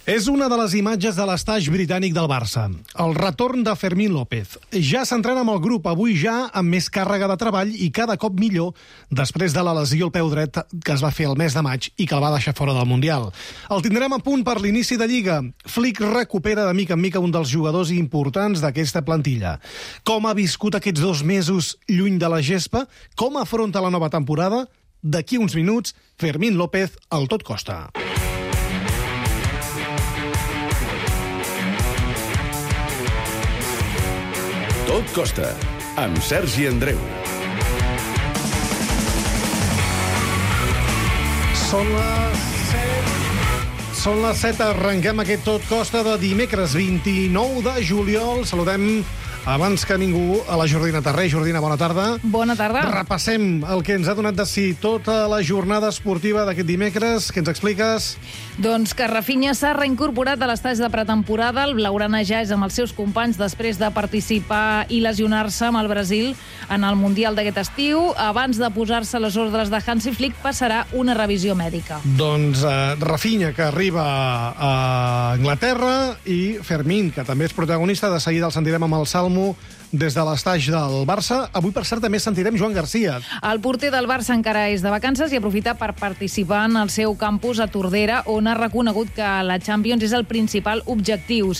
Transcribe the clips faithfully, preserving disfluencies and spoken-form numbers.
És una de les imatges de l'estaix britànic del Barça. El retorn de Fermín López. Ja s'entrena amb el grup, avui ja amb més càrrega de treball i cada cop millor després de la lesió al peu dret que es va fer el mes de maig i que el va deixar fora del Mundial. El tindrem a punt per l'inici de Lliga. Flick recupera de mica en mica un dels jugadors importants d'aquesta plantilla. Com ha viscut aquests dos mesos lluny de la gespa? Com afronta la nova temporada? D'aquí uns minuts, Fermín López al Tot Costa. Tot Costa, amb Sergi Andreu. Són les set. Són les set, arrenquem aquest Tot Costa de dimecres vint-i-nou de juliol. Saludem abans que ningú a la Jordina Tarré. Jordina, bona tarda. Bona tarda. Repassem el que ens ha donat de si tota la jornada esportiva d'aquest dimecres. Què ens expliques? Doncs que Rafinha s'ha reincorporat a l'estaix de pretemporada. El blaugrana ja és amb els seus companys després de participar i lesionar-se amb el Brasil en el Mundial d'aquest estiu. Abans de posar-se a les ordres de Hansi Flick, passarà una revisió mèdica. Doncs uh, Rafinha, que arriba a Anglaterra, i Fermín, que també és protagonista. De seguida el sentirem amb el Salmo des de l'estaix del Barça. Avui, per cert, també sentirem Joan Garcia. El porter del Barça encara és de vacances i aprofita per participar en el seu campus a Tordera, on ha reconegut que la Champions és el principal objectiu.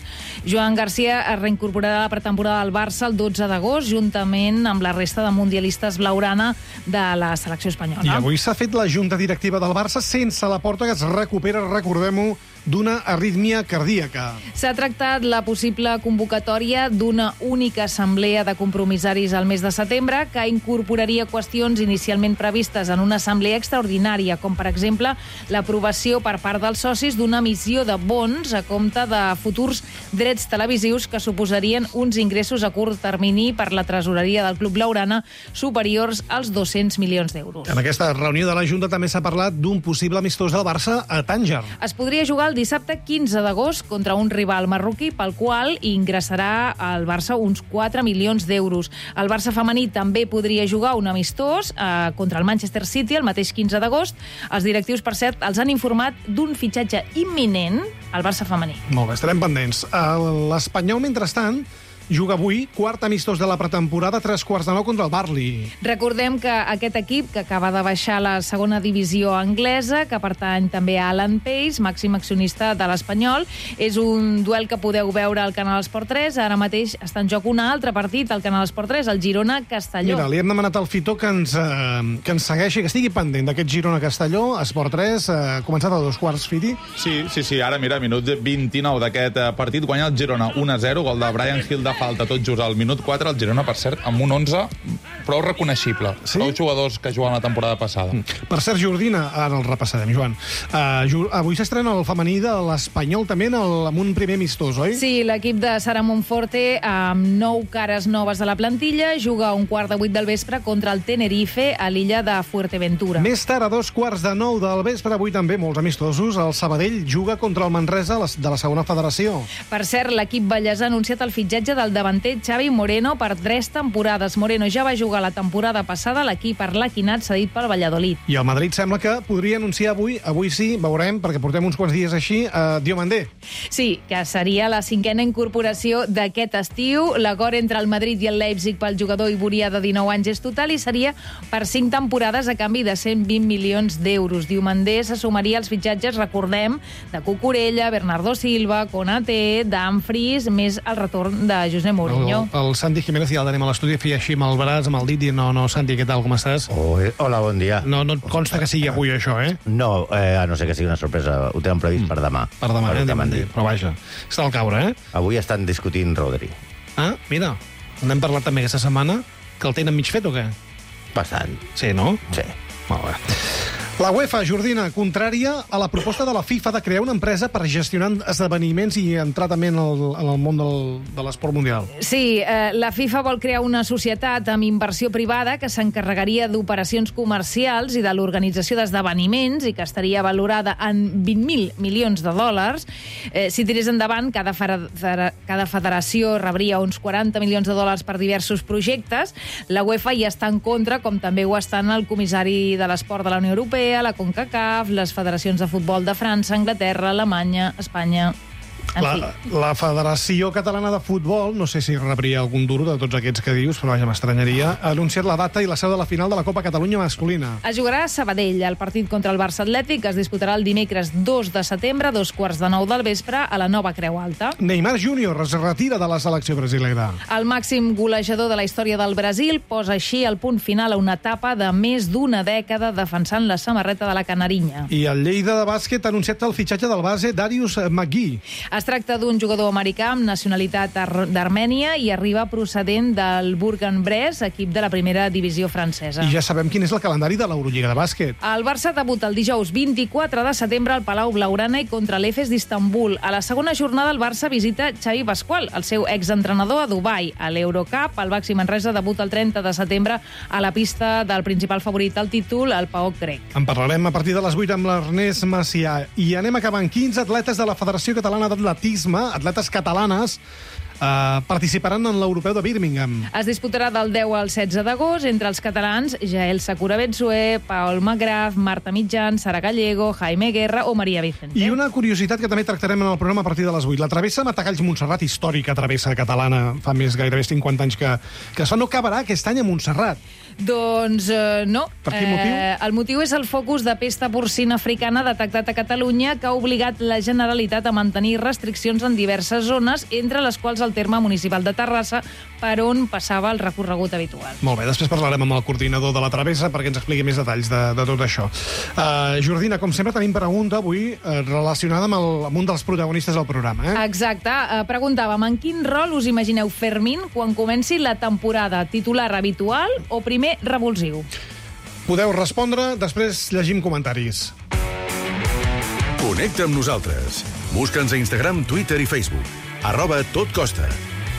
Joan Garcia es reincorporarà a la pretemporada del Barça el dotze d'agost, juntament amb la resta de mundialistes blaugrana de la selecció espanyola. I avui s'ha fet la junta directiva del Barça sense la porta, que es recupera, recordem-ho, d'una arrítmia cardíaca. S'ha tractat la possible convocatòria d'una única assemblea de compromissaris al mes de setembre, que incorporaria qüestions inicialment previstes en una assemblea extraordinària, com per exemple l'aprovació per part dels socis d'una emissió de bons a compte de futurs drets televisius que suposarien uns ingressos a curt termini per la tresoreria del club blaugrana superiors als dos-cents milions d'euros. En aquesta reunió de la Junta també s'ha parlat d'un possible amistós del Barça a Tànger. Es podria jugar el dissabte quinze d'agost contra un rival marroquí pel qual ingressarà al Barça uns quatre milions d'euros. El Barça femení també podria jugar un amistós eh, contra el Manchester City el mateix quinze d'agost. Els directius, per cert, els han informat d'un fitxatge imminent al Barça femení. Molt bé, estarem pendents. L'Espanyol, mentrestant, juga avui, quart amistós de la pretemporada, tres quarts de nou contra el Barley. Recordem que aquest equip, que acaba de baixar a la segona divisió anglesa, que pertany també a Alan Pace, màxim accionista de l'Espanyol, és un duel que podeu veure al Canal Esport tres. Ara mateix està en joc un altre partit al Canal Esport tres, el Girona-Castelló. Mira, li hem demanat al Fitó que ens, eh, que ens segueixi, que estigui pendent d'aquest Girona-Castelló, Esport tres, eh, començat a dos quarts, Fiti. Sí, sí, sí, ara mira, minut vint-i-nou d'aquest partit, guanya el Girona un a zero, gol de Brian Hill de falta tot just al minut quatre, el Girona, per cert, amb un onze prou reconeixible. Sí? Prou jugadors que juguen la temporada passada. Per cert, Jordina, ara el repassarem, Joan. Uh, avui s'estrena el femení de l'Espanyol també en el, amb un primer amistós, oi? Sí, l'equip de Sara Monforte, amb nou cares noves a la plantilla, juga a un quart de vuit del vespre contra el Tenerife a l'illa de Fuerteventura. Més tard, a dos quarts de nou del vespre, avui també molts amistosos, el Sabadell juga contra el Manresa de la segona federació. Per cert, l'equip ballesà ha anunciat el fitxatge del davanter Xavi Moreno per tres temporades. Moreno ja va jugar la temporada passada a l'equip arlequinat cedit pel Valladolid. I el Madrid sembla que podria anunciar avui, avui sí, veurem, perquè portem uns quants dies així, a Diomandé. Sí, que seria la cinquena incorporació d'aquest estiu. L'acord entre el Madrid i el Leipzig pel jugador iborià de dinou anys és total i seria per cinc temporades a canvi de cent vint milions d'euros. Diomandé se sumaria als fitxatges, recordem, de Cucurella, Bernardo Silva, Konaté, Dumfries, més el retorn de José Mourinho. El, el Santi Jiménez ja el tenim a l'estudi, feia així amb el braç, amb el dit, i no, no, Santi, què tal, com estàs? Oh, hola, bon dia. No, no et consta que sigui avui això, eh? No, eh, a no ser que sigui una sorpresa. Ho tenen previst mm. per demà. Per demà, per eh? Demà, però vaja, està al caure, eh? Avui estan discutint Rodri. Ah, mira, n'hem parlat també aquesta setmana, que el tenen mig fet o què? Bastant. Sí, no? Sí. Molt bé. La UEFA, Jordina, contrària a la proposta de la FIFA de crear una empresa per gestionar esdeveniments i entrar també en el, en el món del, de l'esport mundial. Sí, eh, la FIFA vol crear una societat amb inversió privada que s'encarregaria d'operacions comercials i de l'organització d'esdeveniments i que estaria valorada en vint mil milions de dòlars. Eh, si tirés endavant, cada, federa cada federació rebria uns quaranta milions de dòlars per diversos projectes. La UEFA hi està en contra, com també ho estan el comissari de l'esport de la Unió Europea, l'Europea, la CONCACAF, les federacions de futbol de França, Anglaterra, Alemanya, Espanya... En La, fi. la Federació Catalana de Futbol, no sé si rebria algun duro de tots aquests que dius, però vaja, m'estranyaria, ha anunciat la data i la seu de la final de la Copa Catalunya masculina. Es jugarà a Sabadell. El partit contra el Barça Atlètic es disputarà el dimecres dos de setembre, a dos quarts de nou del vespre, a la Nova Creu Alta. Neymar júnior es retira de la selecció brasilera. El màxim golejador de la història del Brasil posa així el punt final a una etapa de més d'una dècada defensant la samarreta de la Canarinya. I el Lleida de bàsquet ha anunciat el fitxatge del base Darius McGee. Es tracta d'un jugador americà amb nacionalitat ar- d'Armènia i arriba procedent del Bourg-en-Bresse, equip de la primera divisió francesa. I ja sabem quin és el calendari de l'Eurolliga de bàsquet. El Barça debuta el dijous vint-i-quatre de setembre al Palau Blaugrana i contra l'Efes d'Istanbul. A la segona jornada el Barça visita Xavi Pasqual, el seu exentrenador a Dubai. A l'Eurocup, el Baxi Manresa debuta el trenta de setembre a la pista del principal favorit al títol, el P A O K grec. En parlarem a partir de les vuit amb l'Ernest Macià. I anem acabant. quinze atletes de la Federació Catalana d'Atletisme, atletes catalanes, Uh, participaran en l'Europeu de Birmingham. Es disputarà del deu al setze d'agost entre els catalans Jael Sakura Betsué, Paul Magraf, Marta Mitjan, Sara Gallego, Jaime Guerra o Maria Vicente. I una curiositat que també tractarem en el programa a partir de les vuit. La travessa Matagalls Montserrat, històrica travessa catalana, fa més gairebé cinquanta anys que, que es fa, no acabarà aquest any a Montserrat. Doncs eh, no. Per quin motiu? Eh, el motiu és el focus de pesta porcina africana detectat a Catalunya, que ha obligat la Generalitat a mantenir restriccions en diverses zones, entre les quals el terme municipal de Terrassa, per on passava el recorregut habitual. Molt bé, després parlarem amb el coordinador de la travessa perquè ens expliqui més detalls de, de tot això. Uh, Jordina, com sempre tenim pregunta avui uh, relacionada amb, el, amb un dels protagonistes del programa. Eh? Exacte. Uh, preguntàvem en quin rol us imagineu Fermín quan comenci la temporada? Titular habitual o primer revulsiu? Podeu respondre, després llegim comentaris. Connecta amb nosaltres. Busca'ns a Instagram, Twitter i Facebook. Arroba Tot Costa.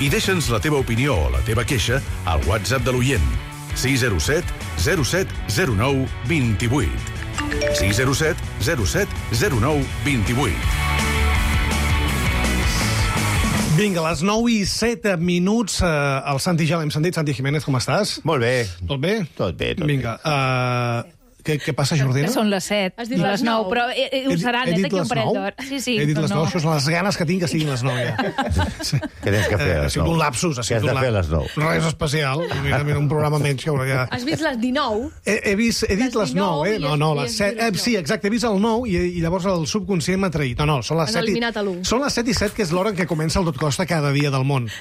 I deixa'ns la teva opinió o la teva queixa al WhatsApp de l'oient. sis zero set zero set zero nou dos vuit. sis zero set zero set zero nou dos vuit. Vinga, a les nou i set minuts, eh, el Santi ja l'hem sentit. Santi Jiménez, com estàs? Molt bé. Tot bé? Tot bé, tot Vinga, uh, què, què passa, Jordina? Que són les set, Has dit les les nou, nou. però eh, eh, ho seran, He eh, dit d'aquí un les parell nou? d'hores. Sí, sí, He dit però les nou, això són les ganes que tinc que siguin les nou, ja. Sí. Què tens que fer a Eh, ha les sigut nou? un lapsus. Ha Què has sigut de un fer a lap- les nou? Res especial. Evidentment, un programa menys que haurà ja... Has vist les dinou? He, he, vist, he dit Les les nou, eh? dinou No, i no, has- les i has set... dit les Eh, sí, exacte, he vist el nou i, i llavors el subconscient m'ha traït. No, no, són les Has set i... eliminat l'u. Són les set i set, que és l'hora en què comença el Tot Costa cada dia del món.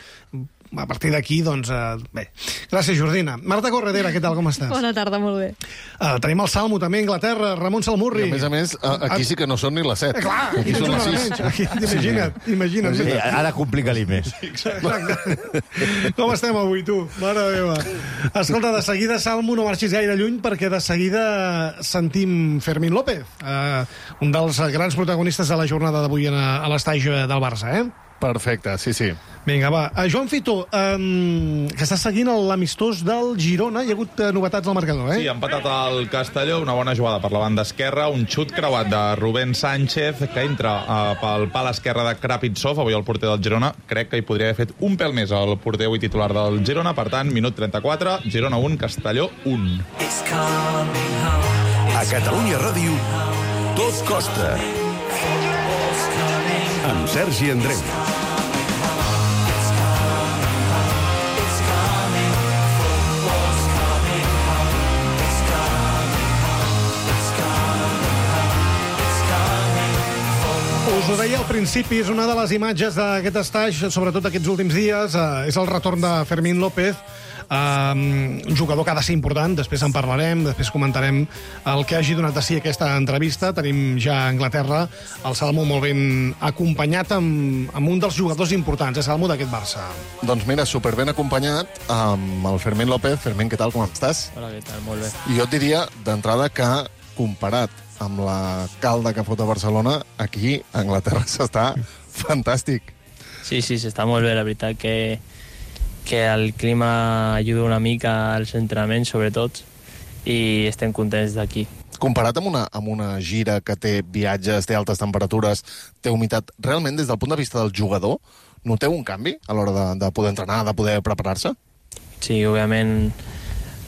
A partir d'aquí, doncs, eh, bé. Gràcies, Jordina. Marta Corredera, què tal, com estàs? Bona tarda, molt bé. Uh, tenim el Salmo, també, a Anglaterra, Ramon Salmurri. I a més a més, a- aquí sí que no són ni les set. Eh, clar, Aquí aquí són són les hora sis. menys. Aquí, imagina't, imagina't. Sí, ara complica-li més. Exacte. Com estem avui, tu? Mare meva. Escolta, de seguida, Salmo, no marxis gaire lluny, perquè de seguida sentim Fermín López, eh, un dels grans protagonistes de la jornada d'avui a, a l'estadi del Barça, eh? Perfecte, sí, sí. Vinga, va. Uh, Joan Fito, um, que està seguint l'amistós del Girona. Hi ha hagut uh, novetats al marcador, eh? Sí, ha empatat el Castelló, una bona jugada per la banda esquerra, un xut creuat de Rubén Sánchez, que entra uh, pel pal esquerre de Krapitsov, avui el porter del Girona. Crec que hi podria haver fet un pèl més el porter avui titular del Girona. Per tant, minut trenta-quatre, Girona un, Castelló un. A Catalunya Ràdio, Tot Costa. Amb Sergi Andreu. Us ho deia al principi, és una de les imatges d'aquest estatge, sobretot aquests últims dies, eh, és el retorn de Fermín López, eh, un jugador que ha de ser important, després en parlarem, després comentarem el que hagi donat de si aquesta entrevista. Tenim ja a Anglaterra el Salmo molt ben acompanyat amb, amb un dels jugadors importants, eh, Salmo, d'aquest Barça. Doncs mira, superben acompanyat amb el Fermín López. Fermín, què tal, com estàs? Hola, què tal? Molt bé. I jo et diria, d'entrada, que comparat amb la calda que fot a Barcelona, aquí a Anglaterra s'està fantàstic. Sí, sí, s'està molt bé, la veritat que, que el clima ajuda una mica als entrenaments, sobretot, i estem contents d'aquí. Comparat amb una, amb una gira que té viatges, té altes temperatures, té humitat, realment, des del punt de vista del jugador, noteu un canvi a l'hora de, de poder entrenar, de poder preparar-se? Sí, òbviament,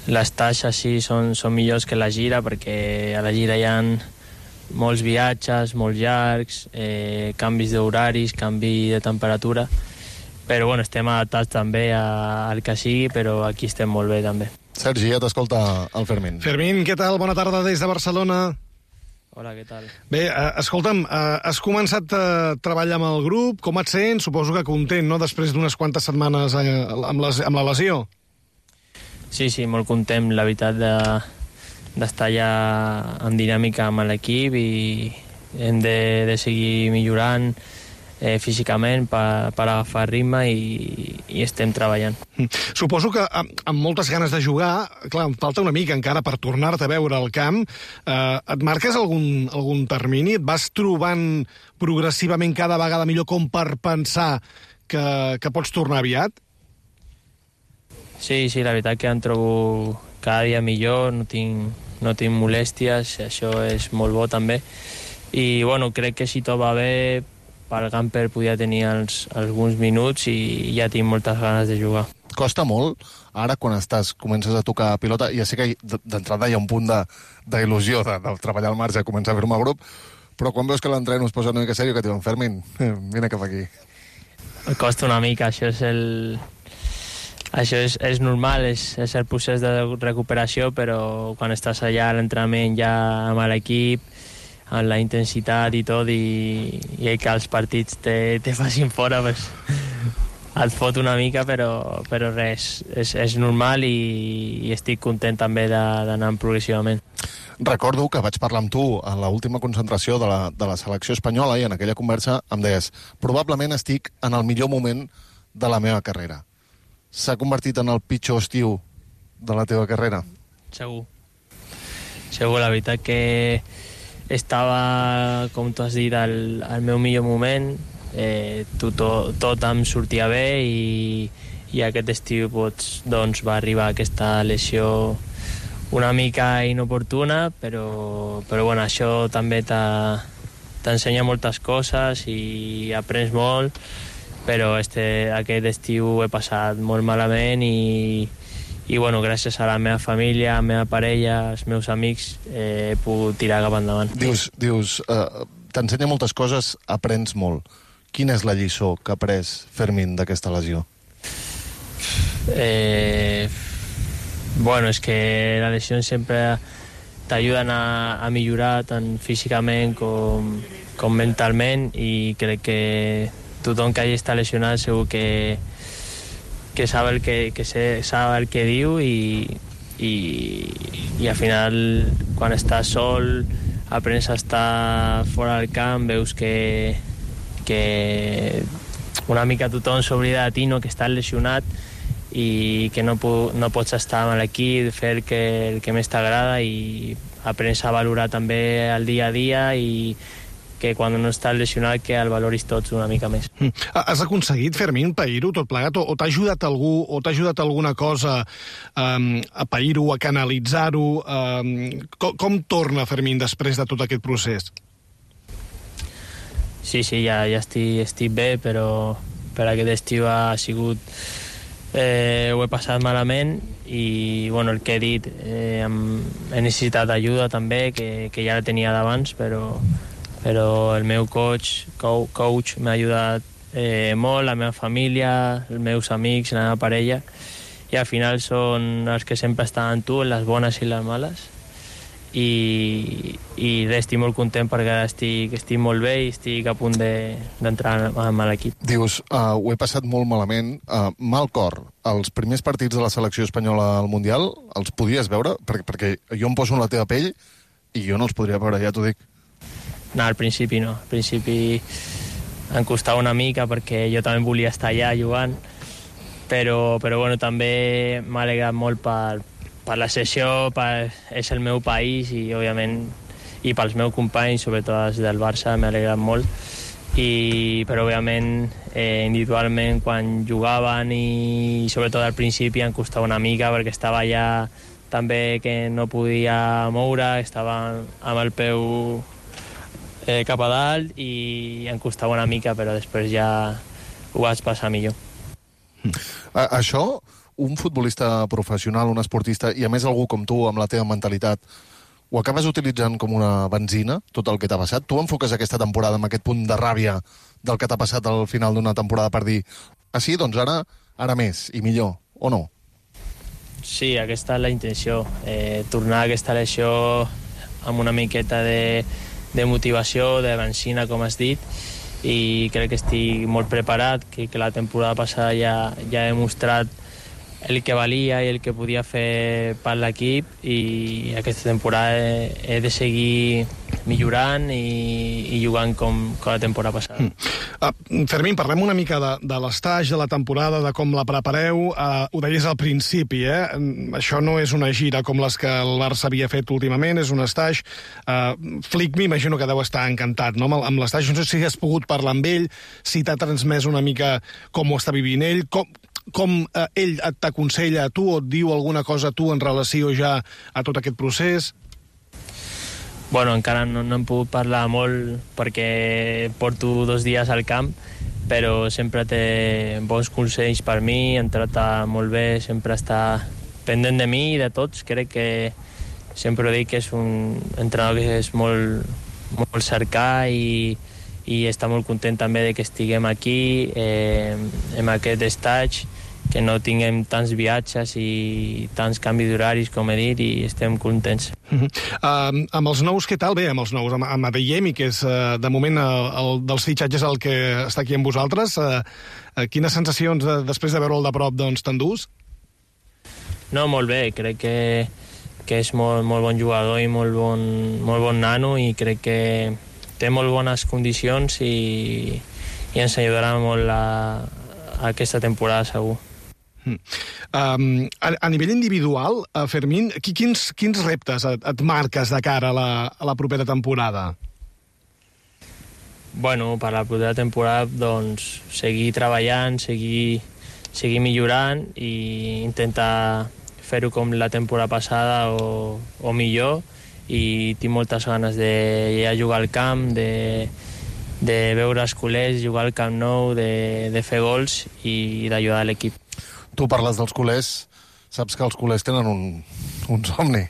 les taxes sí són, són millors que la gira, perquè a la gira hi ha molts viatges, molts llargs, eh, canvis d'horaris, canvi de temperatura, però bueno, estem adaptats també a, al que sigui, però aquí estem molt bé també. Sergi, ja t'escolta el Fermín. Fermín, què tal? Bona tarda des de Barcelona. Hola, què tal? Bé, eh, escolta'm, eh, has començat a treballar amb el grup, com et sents? Suposo que content, no?, després d'unes quantes setmanes eh, amb, les, amb la lesió. Sí, sí, molt content, la veritat, de, d'estar ja en dinàmica amb l'equip i hem de, de seguir millorant eh, físicament per, per agafar ritme i, i estem treballant. Suposo que amb, amb moltes ganes de jugar, clar, em falta una mica encara per tornar-te a veure al camp. Eh, et marques algun, algun termini? Et vas trobant progressivament cada vegada millor com per pensar que, que pots tornar aviat? Sí, sí, la veritat que em trobo cada dia millor, no tinc, no tinc molèsties, això és molt bo també. I bueno, crec que si tot va bé, pel Gamper podia tenir els, alguns minuts i ja tinc moltes ganes de jugar. Costa molt, ara quan estàs, comences a tocar pilota, ja sé que d'entrada hi ha un punt d'il·lusió de, de, de treballar al marge, començar a firmar grup, però quan veus que l'entreno es posa una mica sèrio, que et diuen, Fermín, vine cap aquí. Costa una mica, això és el... Això és, és normal, és, és el procés de recuperació, però quan estàs allà a l'entrenament ja amb l'equip, amb la intensitat i tot, i, i que els partits te, te facin fora, pues, et fot una mica, però, però res, és, és normal i, i estic content també d'anar progressivament. Recordo que vaig parlar amb tu a l'última concentració de la, de la selecció espanyola i en aquella conversa em deies, probablement estic en el millor moment de la meva carrera. S'ha convertit en el pitjor estiu de la teva carrera? Segur. Segur, la veritat que estava, com tu has dit, al, al meu millor moment. Eh, tot, tot em sortia bé i, i aquest estiu doncs, doncs, va arribar aquesta lesió una mica inoportuna, però, però bueno, això també t'ensenya moltes coses i aprens molt, però este, aquest estiu he passat molt malament i, i bueno, gràcies a la meva família, a la meva parella, als meus amics, eh, he pogut tirar cap endavant. Dius, dius uh, t'ensenya moltes coses, aprens molt. Quina és la lliçó que ha après Fermín d'aquesta lesió? Eh, bueno, és que les lesions sempre t'ajuden a, a millorar tant físicament com, com mentalment i crec que tothom que hagi estat lesionat segur que, que sap el que, que sé, sap el que diu i, i, i al final quan estàs sol aprens a estar fora del camp, veus que, que una mica tothom s'oblida de ti, no, que estàs lesionat i que no, no pots estar amb l'equip, fer el que, el que més t'agrada i aprens a valorar també el dia a dia i que quan no estàs lesionat que el valoris tots una mica més. Has aconseguit, Fermín, pair-ho tot plegat? O, o t'ha ajudat algú, o t'ha ajudat alguna cosa um, a pair-ho, a canalitzar-ho? Um, com, com torna, Fermín, després de tot aquest procés? Sí, sí, ja, ja estic, estic bé, però per aquest estiu ha sigut... Eh, ho he passat malament i bueno, el que he dit, eh, he necessitat ajuda també, que, que ja la tenia d'abans, però... però el meu coach, coach m'ha ajudat eh, molt, la meva família, els meus amics, la meva parella, i al final són els que sempre estan amb tu, les bones i les males, i, i estic molt content perquè estic, estic molt bé i estic a punt d'entrar de, amb l'equip. Dius, uh, ho he passat molt malament, uh, mal cor. Els primers partits de la selecció espanyola al Mundial els podies veure? Perquè, perquè jo em poso en la teva pell i jo no els podria veure, ja t'ho dic. No, al principi no. Al principi em costava una mica perquè jo també volia estar allà jugant, però, però bueno, també m'ha alegrat molt per, per la sessió, per, és el meu país i, òbviament, i pels meus companys, sobretot els del Barça, m'ha alegrat molt. I, però, òbviament, eh, individualment, quan jugaven i, sobretot al principi, em costava una mica perquè estava allà també que no podia moure, estava amb el peu Eh, cap a dalt i em costava una mica, però després ja ho vaig passar millor. A, això un futbolista professional, un esportista, i a més algú com tu, amb la teva mentalitat, ho acabes utilitzant com una benzina, tot el que t'ha passat? Tu enfoques aquesta temporada amb aquest punt de ràbia del que t'ha passat al final d'una temporada per dir ah, sí, doncs ara, ara més i millor, o no? Sí, aquesta és la intenció. Eh, tornar a aquesta lesió amb una miqueta de, de motivació, de benzina, com has dit, i crec que estic molt preparat, que, que la temporada passada ja, ja he demostrat el que valia i el que podia fer per l'equip, i aquesta temporada he, he de seguir millorant i, i jugant com, com la temporada passada. Mm. Uh, Fermín, parlem una mica de, de l'estage, de la temporada, de com la prepareu. Uh, ho deies al principi, eh? Això no és una gira com les que el Barça havia fet últimament, és un estage. Uh, Flick m'imagino que deu estar encantat, no?, amb l'estage. No sé si has pogut parlar amb ell, si t'ha transmès una mica com ho està vivint ell, com... com eh, ell t'aconsella a tu o et diu alguna cosa a tu en relació ja a tot aquest procés? Bueno, encara no, no hem pogut parlar molt perquè porto dos dies al camp, però sempre té bons consells per mi, em tracta molt bé, sempre està pendent de mi i de tots. Crec que sempre dic que és un entrenador que és molt, molt cercar i i està molt content també de que estiguem aquí, eh, en aquest estatge, que no tinguem tants viatges i tants canvis d'horaris, com he dit, i estem contents. Uh -huh. uh, amb els nous, què tal? Bé, amb els nous, amb, amb Adeyemi, que és uh, de moment el, el dels fitxatges el que està aquí amb vosaltres, uh, uh, quines sensacions de, després de veure'l de prop doncs, t'endús? No, molt bé, crec que, que és molt, molt bon jugador i molt bon, molt bon nano, i crec que té molt bones condicions i, i ens ajudarà molt a, a aquesta temporada, segur. Mm. Um, a, a nivell individual, uh, Fermín, quins, quins reptes et, et marques de cara a la, a la propera temporada? Bueno, per la propera temporada, doncs, seguir treballant, seguir, seguir millorant i intentar fer-ho com la temporada passada o, o millor, i tinc moltes ganes de ja jugar al camp, de, de veure els culers, jugar al Camp Nou, de, de fer gols i d'ajudar l'equip. Tu parles dels culers, saps que els culers tenen un, un somni,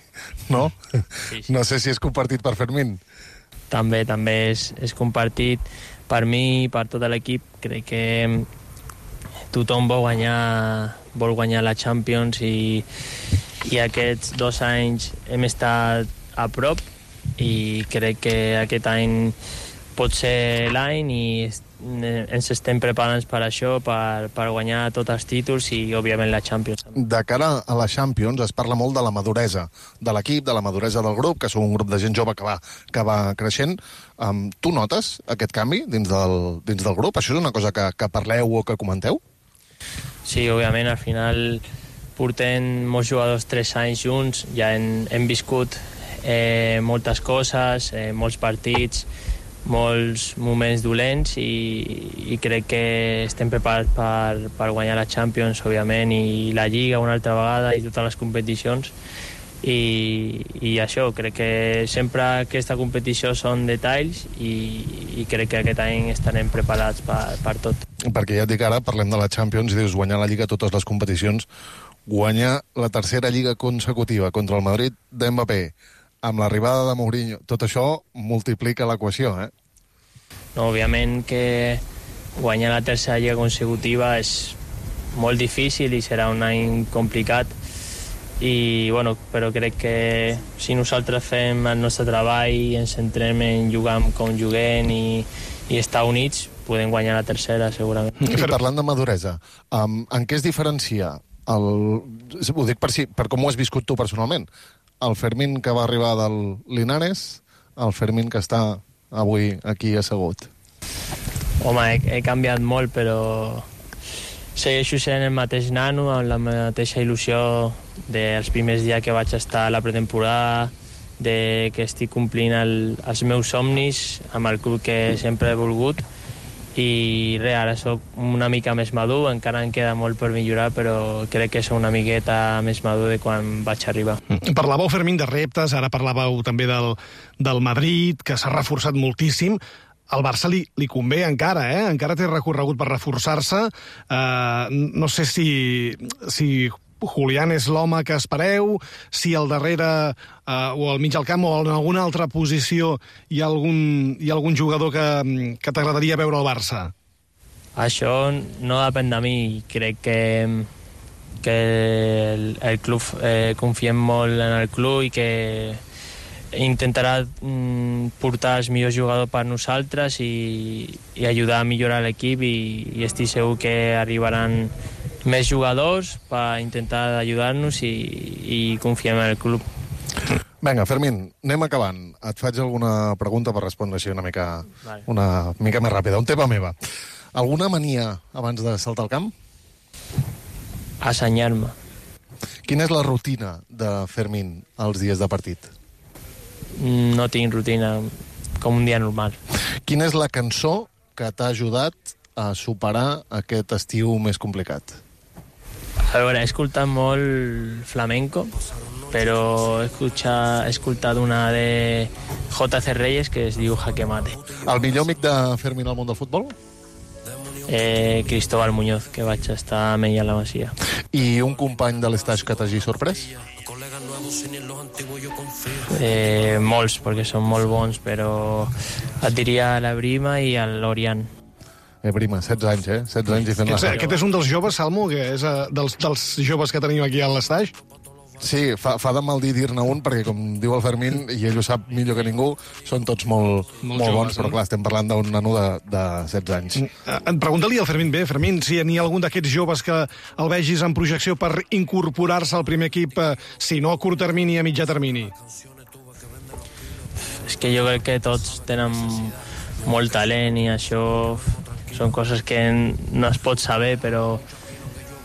no? Sí, sí. No sé si és compartit per Fermín. També, també és, és compartit per mi i per tot l'equip. Crec que tothom vol guanyar, vol guanyar la Champions i, i aquests dos anys hem estat a prop i crec que aquest any pot ser l'any i ens estem preparant per això, per, per guanyar tots els títols i, òbviament, la Champions. De cara a la Champions es parla molt de la maduresa de l'equip, de la maduresa del grup, que sou un grup de gent jove que va, que va creixent. Um, tu notes aquest canvi dins del, dins del grup? Això és una cosa que, que parleu o que comenteu? Sí, òbviament, al final portem molts jugadors tres anys junts, ja hem, hem viscut Eh, moltes coses, eh, molts partits, molts moments dolents i, i crec que estem preparats per, per guanyar la Champions, òbviament, i la Lliga una altra vegada i totes les competicions. I, i això, crec que sempre aquesta competició són detalls i, i crec que aquest any estarem preparats per, per tot. Perquè ja et dic ara, parlem de la Champions i dius guanyar la Lliga totes les competicions, guanyar la tercera Lliga consecutiva contra el Madrid d'Mbappé, amb l'arribada de Mourinho, tot això multiplica l'equació, eh? No, òbviament que guanyar la tercera lliga consecutiva és molt difícil i serà un any complicat, i, bueno, però crec que si nosaltres fem el nostre treball i ens centrem en jugar com juguem i, i estar units, podem guanyar la tercera, segurament. I parlant de maduresa, um, en què es diferencia el... Ho dic per, si, per com ho has viscut tu personalment, el Fermín que va arribar del Linares, el Fermín que està avui aquí assegut? Home, he, he canviat molt, però segueixo sent el mateix nano, amb la mateixa il·lusió dels primers dies que vaig estar a la pretemporada, de que estic complint el, els meus somnis amb el club que sempre he volgut, i res, ara soc una mica més madur, encara em queda molt per millorar, però crec que soc una miqueta més madur de quan vaig arribar. Parlàveu, Fermín, de reptes, ara parlàveu també del, del Madrid, que s'ha reforçat moltíssim. al Barça li, li convé encara, eh? Encara té recorregut per reforçar-se. Uh, no sé si, si Julián és l'home que espereu, si al darrere uh, o al mig al camp o en alguna altra posició hi ha algun, hi ha algun jugador que, que t'agradaria veure al Barça. Això no depèn de mi. Crec que, que el, el club, eh, confiem molt en el club i que intentarà mm, portar els millors jugadors per nosaltres i, i ajudar a millorar l'equip i, i estic segur que arribaran més jugadors per intentar ajudar-nos i, i confiem en el club. Vinga, Fermín, anem acabant. Et faig alguna pregunta per respondre així una mica, vale. una mica més ràpida. Un tema meva. Alguna mania abans de saltar al camp? Assenyar-me. Quina és la rutina de Fermín els dies de partit? No tinc rutina, com un dia normal. Quina és la cançó que t'ha ajudat a superar aquest estiu més complicat? A veure, he escoltat molt flamenco, però he escoltat, he escoltat una de J C Reyes que es diu Jaque Mate. El millor amic de Fermín al món del futbol? Eh, Cristóbal Muñoz, que vaig estar amb ell a la Masia. I un company de l'Estaix que t'hagi sorprès? Eh, molts, perquè són molt bons, però et diria la Brima i l'Orián. Eh, Brima, setze anys, eh? setze anys i fent la... Aquest, aquest és un dels joves, Salmo, que és uh, dels, dels joves que tenim aquí a l'Estaix? Sí, fa, fa de mal dir dir-ne un, perquè, com diu el Fermín, i ell ho sap millor que ningú, són tots molt, molt, molt bons, però clar, estem parlant d'un nano de, de setze anys. Mm. Pregunta-li al Fermín bé, Fermín, si n'hi ha algun d'aquests joves que el vegis en projecció per incorporar-se al primer equip, eh, si no a curt termini, a mitjà termini. És que jo crec que tots tenen molt talent i això són coses que no es pot saber, però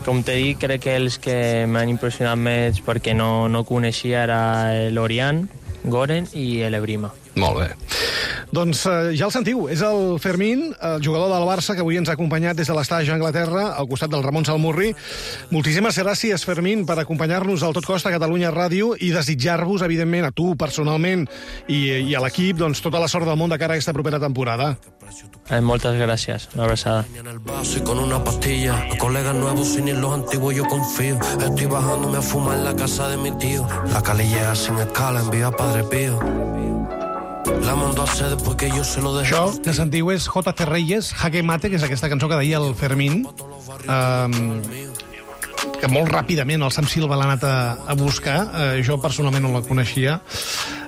com t'he dit, crec que els que m'han impressionat més perquè no, no coneixia era l'Orián, Goren i l'Ebrima. Molt bé. Doncs eh, ja el sentiu, és el Fermín, el jugador del Barça, que avui ens ha acompanyat des de l'Estaix a Anglaterra, al costat del Ramon Salmurri. Moltíssimes gràcies, Fermín, per acompanyar-nos al Tot Costa Catalunya Ràdio i desitjar-vos, evidentment, a tu personalment i, i a l'equip, doncs, tota la sort del món de cara a aquesta propera temporada. Eh, moltes gràcies, una abraçada. En el vaso y con una pastilla, los colegas nuevos sin ir los antiguos yo confío. Estoy bajándome a fumar en la casa de mi tío. La Cali llega sin escala, envía Padre Pío. La mandó a hacer después que yo se lo dejé. Això que sentiu és J C Reyes, Jaque Mate, que és aquesta cançó que deia el Fermín, um, que molt ràpidament el Sam Silva l'ha anat a, a buscar. Uh, jo personalment no la coneixia.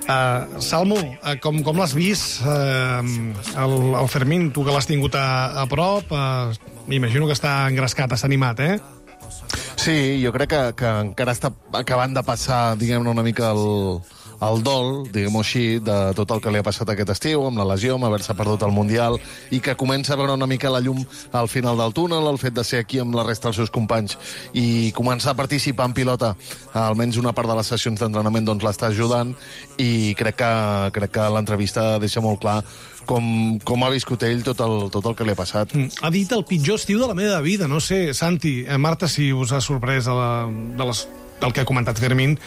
Uh, Salmo, uh, com, com l'has vist, uh, el, el Fermín, tu que l'has tingut a, a prop, uh, m'imagino que està engrescat, està animat, eh? Sí, jo crec que, que encara està acabant de passar, diguem-ne, una mica el, el dol, diguem-ho així, de tot el que li ha passat aquest estiu, amb la lesió, amb haver-se perdut el Mundial, i que comença a veure una mica la llum al final del túnel, el fet de ser aquí amb la resta dels seus companys i començar a participar en pilota, almenys una part de les sessions d'entrenament doncs l'està ajudant, i crec que, crec que l'entrevista deixa molt clar com, com ha viscut ell tot el, tot el que li ha passat. Mm. Ha dit el pitjor estiu de la meva vida, no sé, Santi, eh, Marta, si us ha sorprès de la, de les, del que ha comentat Fermín.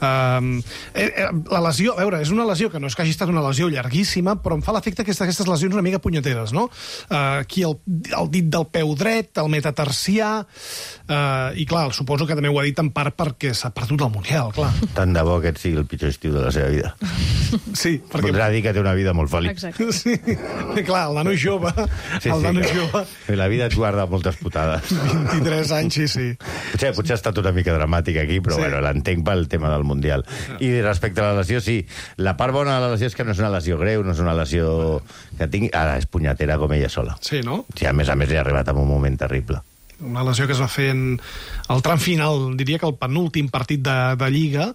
Uh, eh, eh, la lesió, a veure, és una lesió que no és que hagi estat una lesió llarguíssima, però em fa l'efecte que aquestes lesions una mica punyeteres, no? Uh, aquí el, el dit del peu dret, el metatarsià, uh, i clar, suposo que també ho ha dit en part perquè s'ha perdut el Mundial, clar. Tant de bo que et sigui el pitjor estiu de la seva vida. Sí, perquè... Voldrà dir que té una vida molt feliç. Exacte. Sí, clar, el nano jove, Sí, el sí, nano que, jove, que la vida et guarda moltes putades. vint-i-tres anys, sí, sí. Potser, potser ha estat una mica dramàtic aquí, però Sí. sí. bueno, l'entenc pel tema del Mundial. I respecte a la lesió, sí. La part bona de la lesió és que no és una lesió greu, no és una lesió que tingui... Ara és punyatera com ella sola. Sí, no? Sí, a més a més li ha arribat en un moment terrible. Una lesió que es va fer en el tram final, diria que el penúltim partit de, de Lliga.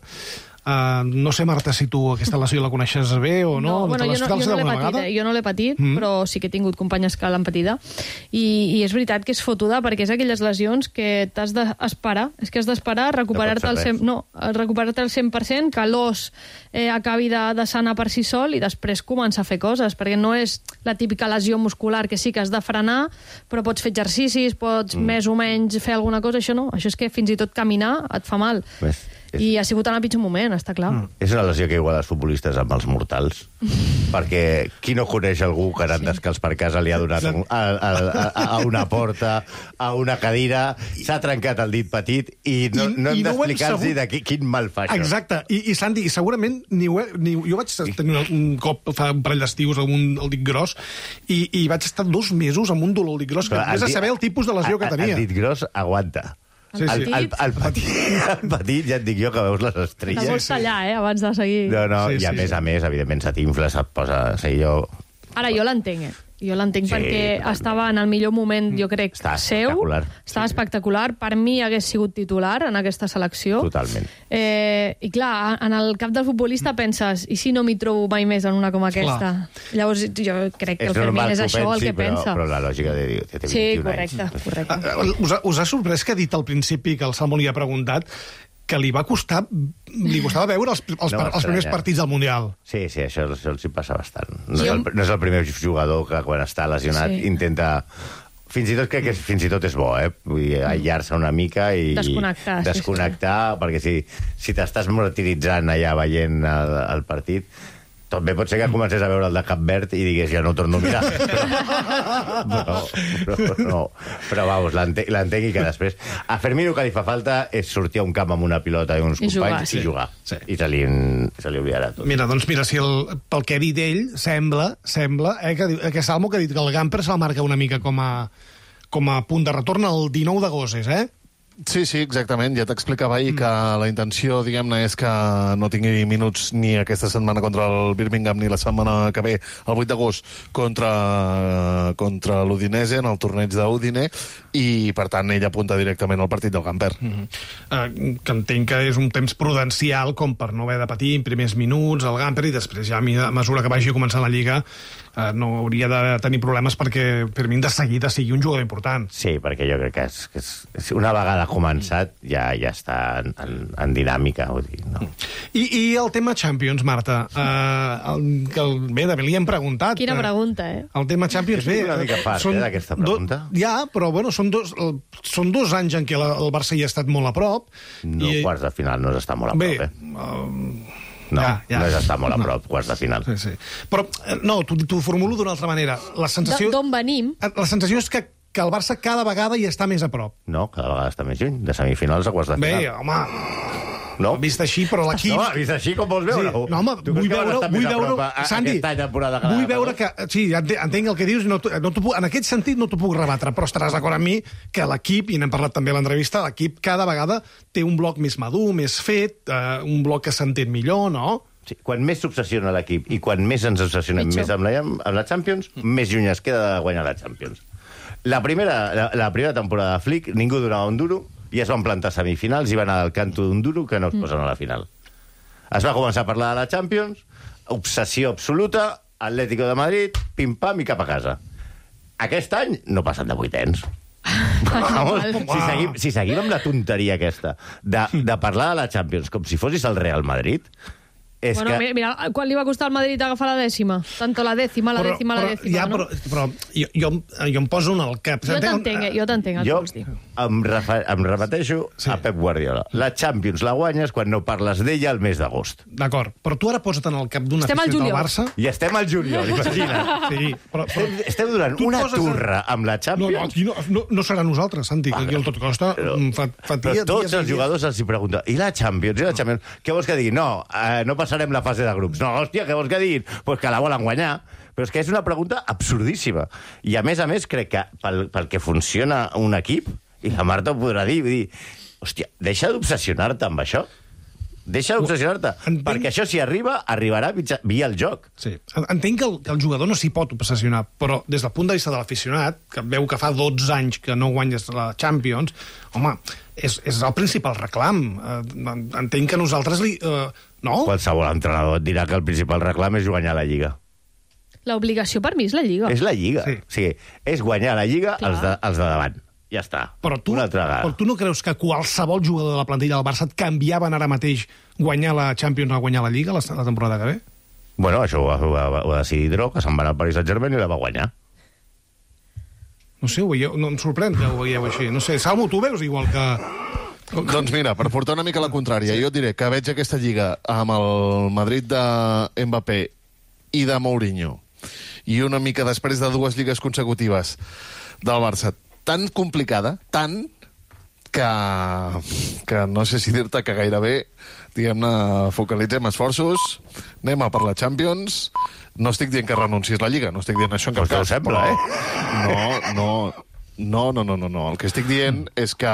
Uh, no sé, Marta, si tu aquesta lesió la coneixes bé o no. No, bueno, jo no, jo no l'he patit, eh? jo no l'he patit, mm. però sí que he tingut companyes que l'han patida. I, I és veritat que és fotuda, perquè és aquelles lesions que t'has d'esperar, és que has d'esperar recuperar-te al cent, no, recuperar-te al cent per cent, que l'os eh, acabi de, de sanar per si sol i després començar a fer coses, perquè no és la típica lesió muscular que sí que has de frenar, però pots fer exercicis, pots mm. més o menys fer alguna cosa, això no, això és que fins i tot caminar et fa mal. Ves. I ha sigut en el pitjor moment, està clar. Mm. És una lesió que igual els futbolistes amb els mortals, perquè qui no coneix algú que anant sí. descalç per casa li ha donat un, a, a, a, a una porta, a una cadira, s'ha trencat el dit petit i no, I, no hem d'explicar-los no de qui, quin mal fa això. Exacte. I, i Santi, segurament ni ho he, ni, jo vaig tenir un cop fa un parell d'estius amb un el dit gros i, i vaig estar dos mesos amb un dolor al dit gros, que només a saber el tipus de lesió que tenia. El dit gros aguanta. Sí, sí. El, el, el, petit, el petit, ja et dic jo, que veus les estrelles. La vols tallar, eh, abans de seguir. No, no, sí, i a sí, més sí. a més, evidentment, se t'infla, se't posa... O sigui, jo... Ara, jo l'entenc, eh? Jo l'entenc Sí, perquè totalment. estava en el millor moment, jo crec, Està seu. espectacular. Estava espectacular. Per mi hagués sigut titular en aquesta selecció. Totalment. Eh, I clar, en el cap del futbolista penses, i si no m'hi trobo mai més en una com aquesta? Clar. Llavors jo crec que el Fermín és això el que però, pensa. Però la lògica de dir, té Sí, vint-i-un correcte, anys. correcte. Uh, us, ha, us ha sorprès que ha dit al principi, que el Salmo li ha preguntat, que li va costar, li costava veure els, els, No, els primers partits del Mundial. Sí, sí, això, això els hi passa bastant. No, Sí, és el, jo- no és el primer jugador que quan està lesionat Sí. intenta... Fins i tot crec que és, fins i tot és bo, eh? Vull dir, aïllar-se una mica i... Desconnectar, sí, Desconnectar, perquè si, si t'estàs martiritzant allà veient el, el partit... També pot ser que comencés a veure el de Cap Verd i digués, ja no torno a mirar. Però, però, però, no. però vamos, l'entenc l'entenc i que després... A Fermín el que li fa falta és sortir a un camp amb una pilota i uns I jugar, companys sí. i jugar. Sí. I se li, se li oblidarà tot. Mira, doncs mira, si el, pel que ha dit ell, sembla, sembla eh, que, diu- que Salmo que ha dit que el Gamper se'l marca una mica com a, com a punt de retorn el dinou d'agost, és, eh? Sí, sí, exactament. Ja t'explicava ahir que la intenció, diguem-ne, és que no tingui minuts ni aquesta setmana contra el Birmingham ni la setmana que ve, el vuit d'agost, contra, contra l'Udinese, en el torneig d'Udine, i, per tant, ell apunta directament al partit del Gamper. Mm -hmm. uh, que entenc que és un temps prudencial com per no haver de patir en primers minuts el Gamper i després ja a mesura que vagi a començar la Lliga uh, no hauria de tenir problemes perquè Fermín de seguida sigui un jugador important. Sí, perquè jo crec que, és, que és, és una vegada començat ja ja està en, en, en dinàmica. Vull dir, no? I, I el tema Champions, Marta, uh, el, que el, bé, també li hem preguntat. Quina eh, pregunta, eh? El tema Champions, És bé... una mica fart, són eh, d'aquesta pregunta. Do, ja, però bueno, són dos, el, són dos anys en què la, el Barça hi ha estat molt a prop. No, i, quarts de final no és estar molt a bé, prop, eh? uh, No, ja, ja. no és estar molt a No. prop, quarts de final. Sí, sí. Però, eh, no, t'ho formulo d'una altra manera. La sensació... D'on venim? La sensació és que, que el Barça cada vegada hi està més a prop. No, cada vegada està més lluny, de semifinals a quarts de final. Bé, home, no? vist així, però l'equip... No, vist així com vols veure-ho? Sí. No, home, Tu creus vull que vas veure... estar Vull més a veure prop a- a- Santi, aquesta temporada que la vull de veure que... Sí, ente- entenc el que dius, no, t'ho- no t'ho puc, en aquest sentit no t'ho puc rebatre, però estaràs d'acord amb mi que l'equip, i n'hem parlat també a l'entrevista, l'equip cada vegada té un bloc més madur, més fet, eh, un bloc que s'entén millor, no? Sí, quan més s'obsessiona l'equip i quan més ens obsessionem Pitjor. més amb la, amb la Champions, més lluny es queda de guanyar la Champions. La primera, la, la primera temporada de Flick, ningú donava un duro, i es van plantar semifinals i van anar al canto d'un duro que no es posen a la final. Es va començar a parlar de la Champions, obsessió absoluta, Atlético de Madrid, pim-pam i cap a casa. Aquest any no passen de vuitens. Vamos, si, seguim, si seguim amb la tonteria aquesta de, de parlar de la Champions com si fossis el Real Madrid, és Bueno, que... mira, mira, quan li va costar al Madrid agafar la dècima? Tanto la dècima, la dècima, la dècima, ja, no? però, però jo, jo, jo em poso en el cap. Jo t'entenc, eh, jo t'entenc, el que Jo vols dir. em, refer, em repeteixo Sí. a Pep Guardiola. La Champions la guanyes quan no parles d'ella al mes d'agost. D'acord, però tu ara posa't en el cap d'un Estem al aficionat del juliol. Barça... I estem al juliol, imagina't. Sí, però, però Estem, estem donant tu et una poses a- turra amb la no, no, Champions. aquí no, no, no serà nosaltres, Santi, que aquí el tot costa Però- mm, fa, fa Però dia, tots dies, els dies. jugadors els hi pregunten i la Champions, i la Champions? Què vols que digui? No, eh, no passarem la fase de grups. No, hòstia, què vols que diguin? Pues que la volen guanyar. Però és que és una pregunta absurdíssima. I a més a més crec que pel, pel que funciona un equip, i la Marta ho podrà dir, vull dir, hòstia, deixa d'obsessionar-te amb això. Deixa d'obsessionar-te. Entenc- Perquè això, si arriba, arribarà mitja, via el joc. Sí. Entenc que el, que el jugador no s'hi pot obsessionar, però des del punt de vista de l'aficionat, que veu que fa dotze anys que no guanyes la Champions, home, és, és el principal reclam. Eh, entenc que nosaltres li... Eh, no? Qualsevol entrenador et dirà que el principal reclam és guanyar la Lliga. L'obligació per mi és la Lliga. És la Lliga. Sí. O sigui, és guanyar la Lliga Clar. els de, els de davant. Ja està. Però tu, Una altra vegada. però tu no creus que qualsevol jugador de la plantilla del Barça et canviaven ara mateix guanyar la Champions a guanyar la Lliga la, la temporada que ve? Bueno, això ho va, ho va, ho va decidir Dró, que se'n va anar al Paris Saint-Germain i la va guanyar. No sé, ho veieu, no em sorprèn que ho veieu així. No sé, Salmo, tu veus igual que, Doncs mira, per portar una mica la contrària, jo et diré que veig aquesta lliga amb el Madrid de Mbappé i de Mourinho i una mica després de dues lligues consecutives del Barça tan complicada, tan que, que no sé si dir-te que gairebé, diguem-ne, focalitzem esforços, anem a per la Champions. No estic dient que renuncis la Lliga, no estic dient això en cap cas. Sembla, eh? No, no, no, no, no, no, no. El que estic dient és que,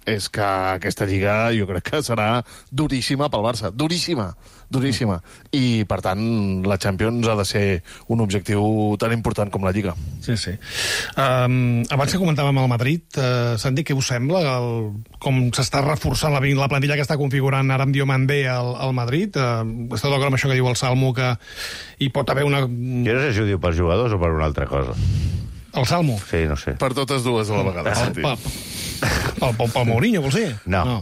és que aquesta Lliga jo crec que serà duríssima pel Barça. Duríssima, duríssima. I, per tant, la Champions ha de ser un objectiu tan important com la Lliga. Sí, sí. Um, abans que comentàvem el Madrid, uh, Santi, què us sembla? El, com s'està reforçant la, la plantilla que està configurant ara amb Diomandé al, al Madrid? Uh, està d'acord amb això que diu el Salmo, que hi pot haver una... Jo no sé si ho diu pels jugadors o per una altra cosa. El Salmo? Sí, no sé. Per totes dues a la vegada. El, pel, pel, pel, pel Mourinho, vols dir? No. no.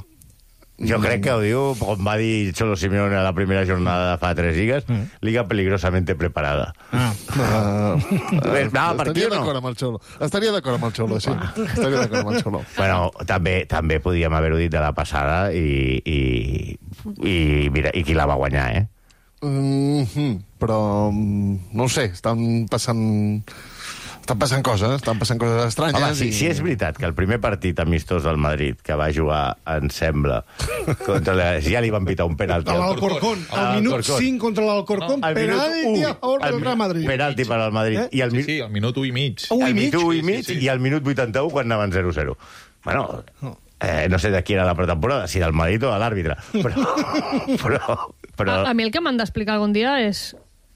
Jo crec que ho diu, com va dir Cholo Simeone a la primera jornada de fa tres lligues, mm. Liga peligrosamente preparada. Ah. Uh, no, per Estaria no? d'acord amb el Cholo. Estaria d'acord amb el Cholo, sí. Estaria d'acord amb el Cholo. Bueno, també, també podíem haver-ho dit de la passada i, i, i, mira, i qui la va guanyar, eh? Mm-hmm. Però, no ho sé, estan passant... Estan passant coses, estan passant coses estranyes. Home, si, i... si és veritat que el primer partit amistós del Madrid que va jugar, em sembla, contra la... ja li van pitar un penalti. A l'Alcorcón, al minut cinc contra l'Alcorcón, no, penalti a favor del Real Madrid. Penalti per al Madrid. Eh? I el, sí, sí, al minut u i mig. Un i mig? Al minut u i mig sí, sí. I al minut vuitanta-u quan anaven zero zero. Bueno, eh, no sé de qui era la pretemporada, si del Madrid o de l'àrbitre, però... però, però... A, a mi el que m'han d'explicar algun dia és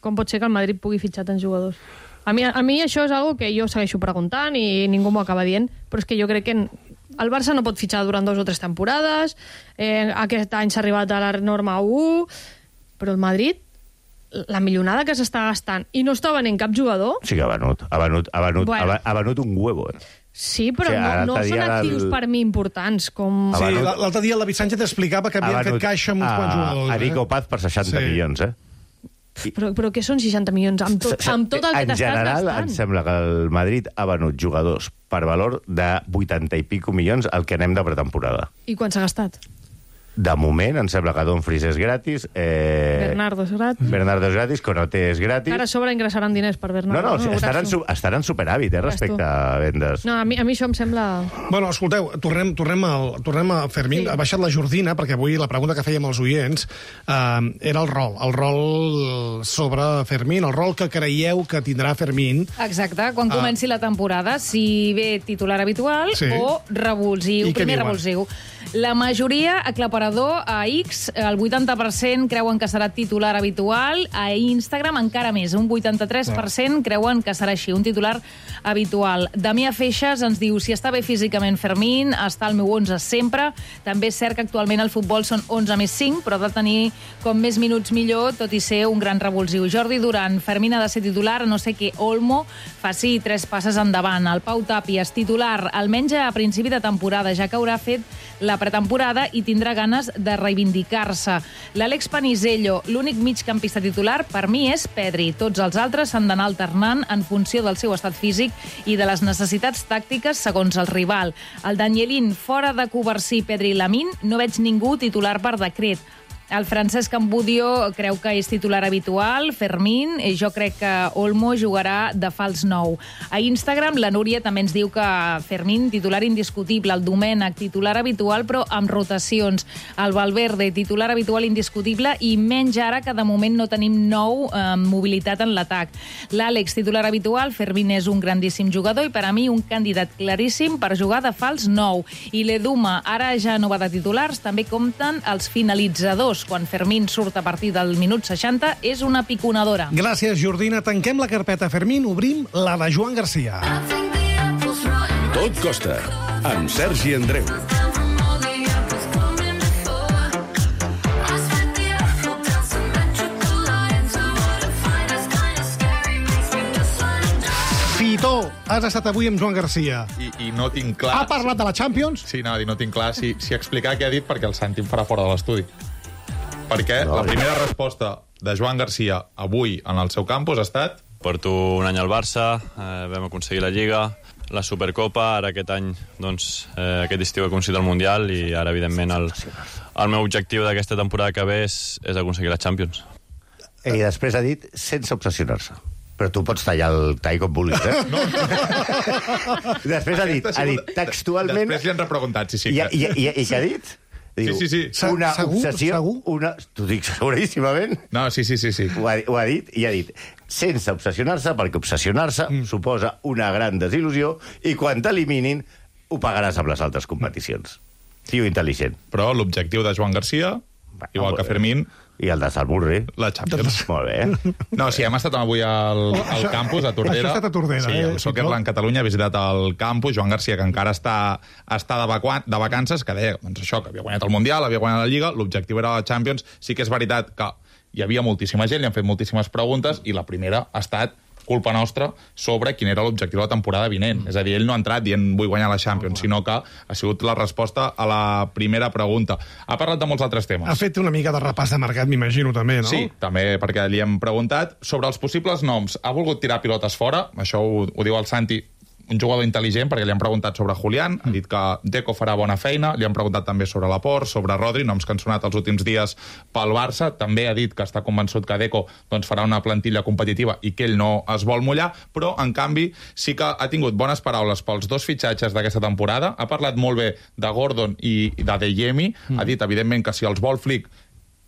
com pot ser que el Madrid pugui fitxar tants jugadors. A mi, a mi això és algo que jo segueixo preguntant i ningú m'ho acaba dient, però és que jo crec que el Barça no pot fitxar durant dos o tres temporades, eh, aquest any s'ha arribat a la norma u, però el Madrid, la milionada que s'està gastant i no està venent cap jugador... Sí que ha venut, ha venut, ha venut, bueno. ha, ha venut un huevo, eh? Sí, però o sigui, no, no són actius el... per mi importants. Com... Sí, l'altre dia el David Sánchez explicava que havien fet caixa amb uns quants jugadors. A Nico Paz per seixanta sí. milions, eh? Però, però què són seixanta milions? Amb tot, amb tot el que t'estàs gastant? En general, em sembla que el Madrid ha venut jugadors per valor de vuitanta i pico milions al que anem de pretemporada. I quan s'ha gastat? De moment, em sembla que Dumfries és gratis. Eh... Bernardo és gratis. Bernardo és gratis, Konaté és gratis. Ara a sobre ingressaran diners per Bernardo. No, no, no estaran, su estaran superàvit, eh, respecte a vendes. No, a mi, a mi això em sembla... Bueno, escolteu, tornem, tornem, al, tornem a Fermín. Sí. Ha baixat la Jordina, perquè avui la pregunta que fèiem als oients eh, era el rol. El rol sobre Fermín, el rol que creieu que tindrà Fermín. Exacte, quan ah. comenci la temporada, si ve titular habitual sí. o revulsiu, primer revulsiu. La majoria, aclaparador a X, el vuitanta per cent creuen que serà titular habitual, a Instagram encara més, un vuitanta-tres per cent creuen que serà així, un titular habitual. Damià Feixas ens diu, si està bé físicament Fermín, està al meu onze sempre, també és cert que actualment el futbol són onze més cinc, però ha de tenir com més minuts millor, tot i ser un gran revulsiu. Jordi Duran, Fermín ha de ser titular, no sé que Olmo faci tres passes endavant. El Pau Tàpies, titular, almenys a principi de temporada, ja que haurà fet la pretemporada i tindrà ganes de reivindicar-se. L'Àlex Panisello, l'únic migcampista titular, per mi és Pedri. Tots els altres s'han d'anar alternant en funció del seu estat físic i de les necessitats tàctiques segons el rival. El Danielín, fora de Covarsí, Pedri i Lamín, no veig ningú titular per decret. El Francesc Ambudio creu que és titular habitual, Fermín, jo crec que Olmo jugarà de fals nou. A Instagram, la Núria també ens diu que Fermín, titular indiscutible, el Domènec, titular habitual, però amb rotacions. El Valverde, titular habitual indiscutible, i menys ara que de moment no tenim nou eh, mobilitat en l'atac. L'Àlex, titular habitual, Fermín és un grandíssim jugador i per a mi un candidat claríssim per jugar de fals nou. I l'Eduma, ara ja no va de titulars, també compten els finalitzadors. Quan Fermín surt a partir del minut seixanta, és una piconadora. Gràcies, Jordina. Tanquem la carpeta Fermín, obrim la de Joan Garcia. Tot costa, amb Sergi Andreu. Fitó, has estat avui amb Joan Garcia. I, i no tinc clar... Ha parlat de la Champions? Sí, no, i no tinc clar si, si explicar què ha dit perquè el Santi em farà fora de l'estudi. Perquè no, la primera no. resposta de Joan Garcia avui en el seu campus ha estat... Porto un any al Barça, eh, vam aconseguir la Lliga, la Supercopa, ara aquest any, doncs, eh, aquest estiu he aconseguit el Mundial i ara, evidentment, el, el meu objectiu d'aquesta temporada que ve és, és aconseguir la Champions. I després ha dit sense obsessionar-se. Però tu pots tallar el tall com vulguis, eh? No. Després ha dit, ha dit textualment... Després li han repreguntat, sí, sí. I, i, i, i què ha dit? Diu, sí, sí, sí. Una segur, obsessió... Segur? Una... T'ho dic seguríssimament. No, sí, sí, sí. sí. Ho, ha, ho ha dit i ha dit sense obsessionar-se, perquè obsessionar-se mm. suposa una gran desil·lusió i quan t'eliminin ho pagaràs amb les altres competicions. Tio intel·ligent. Però l'objectiu de Joan Garcia, Va, igual que Fermín... I el de Salburri. La Champions. Molt bé. No, sí, hem estat avui al, al campus, a Tordera. Això ha estat a Tordera, sí, eh? el Soccerland Catalunya ha visitat el campus. Joan Garcia, que encara està, està de, vacu de vacances, que deia doncs això, que havia guanyat el Mundial, havia guanyat la Lliga, l'objectiu era la Champions. Sí que és veritat que hi havia moltíssima gent, li han fet moltíssimes preguntes, i la primera ha estat culpa nostra sobre quin era l'objectiu de la temporada vinent. Mm. És a dir, ell no ha entrat dient vull guanyar la Champions, oh, sinó que ha sigut la resposta a la primera pregunta. Ha parlat de molts altres temes. Ha fet una mica de repàs de mercat, m'imagino, també, no? Sí, també, perquè li hem preguntat sobre els possibles noms. Ha volgut tirar pilotes fora, això ho, ho diu el Santi, un jugador intel·ligent, perquè li han preguntat sobre Julián, ha dit que Deco farà bona feina, li han preguntat també sobre Laporte, sobre Rodri, noms que han sonat els últims dies pel Barça, també ha dit que està convençut que Deco doncs, farà una plantilla competitiva i que ell no es vol mullar, però, en canvi, sí que ha tingut bones paraules pels dos fitxatges d'aquesta temporada, ha parlat molt bé de Gordon i de Adeyemi, mm. ha dit, evidentment, que si els vol Flick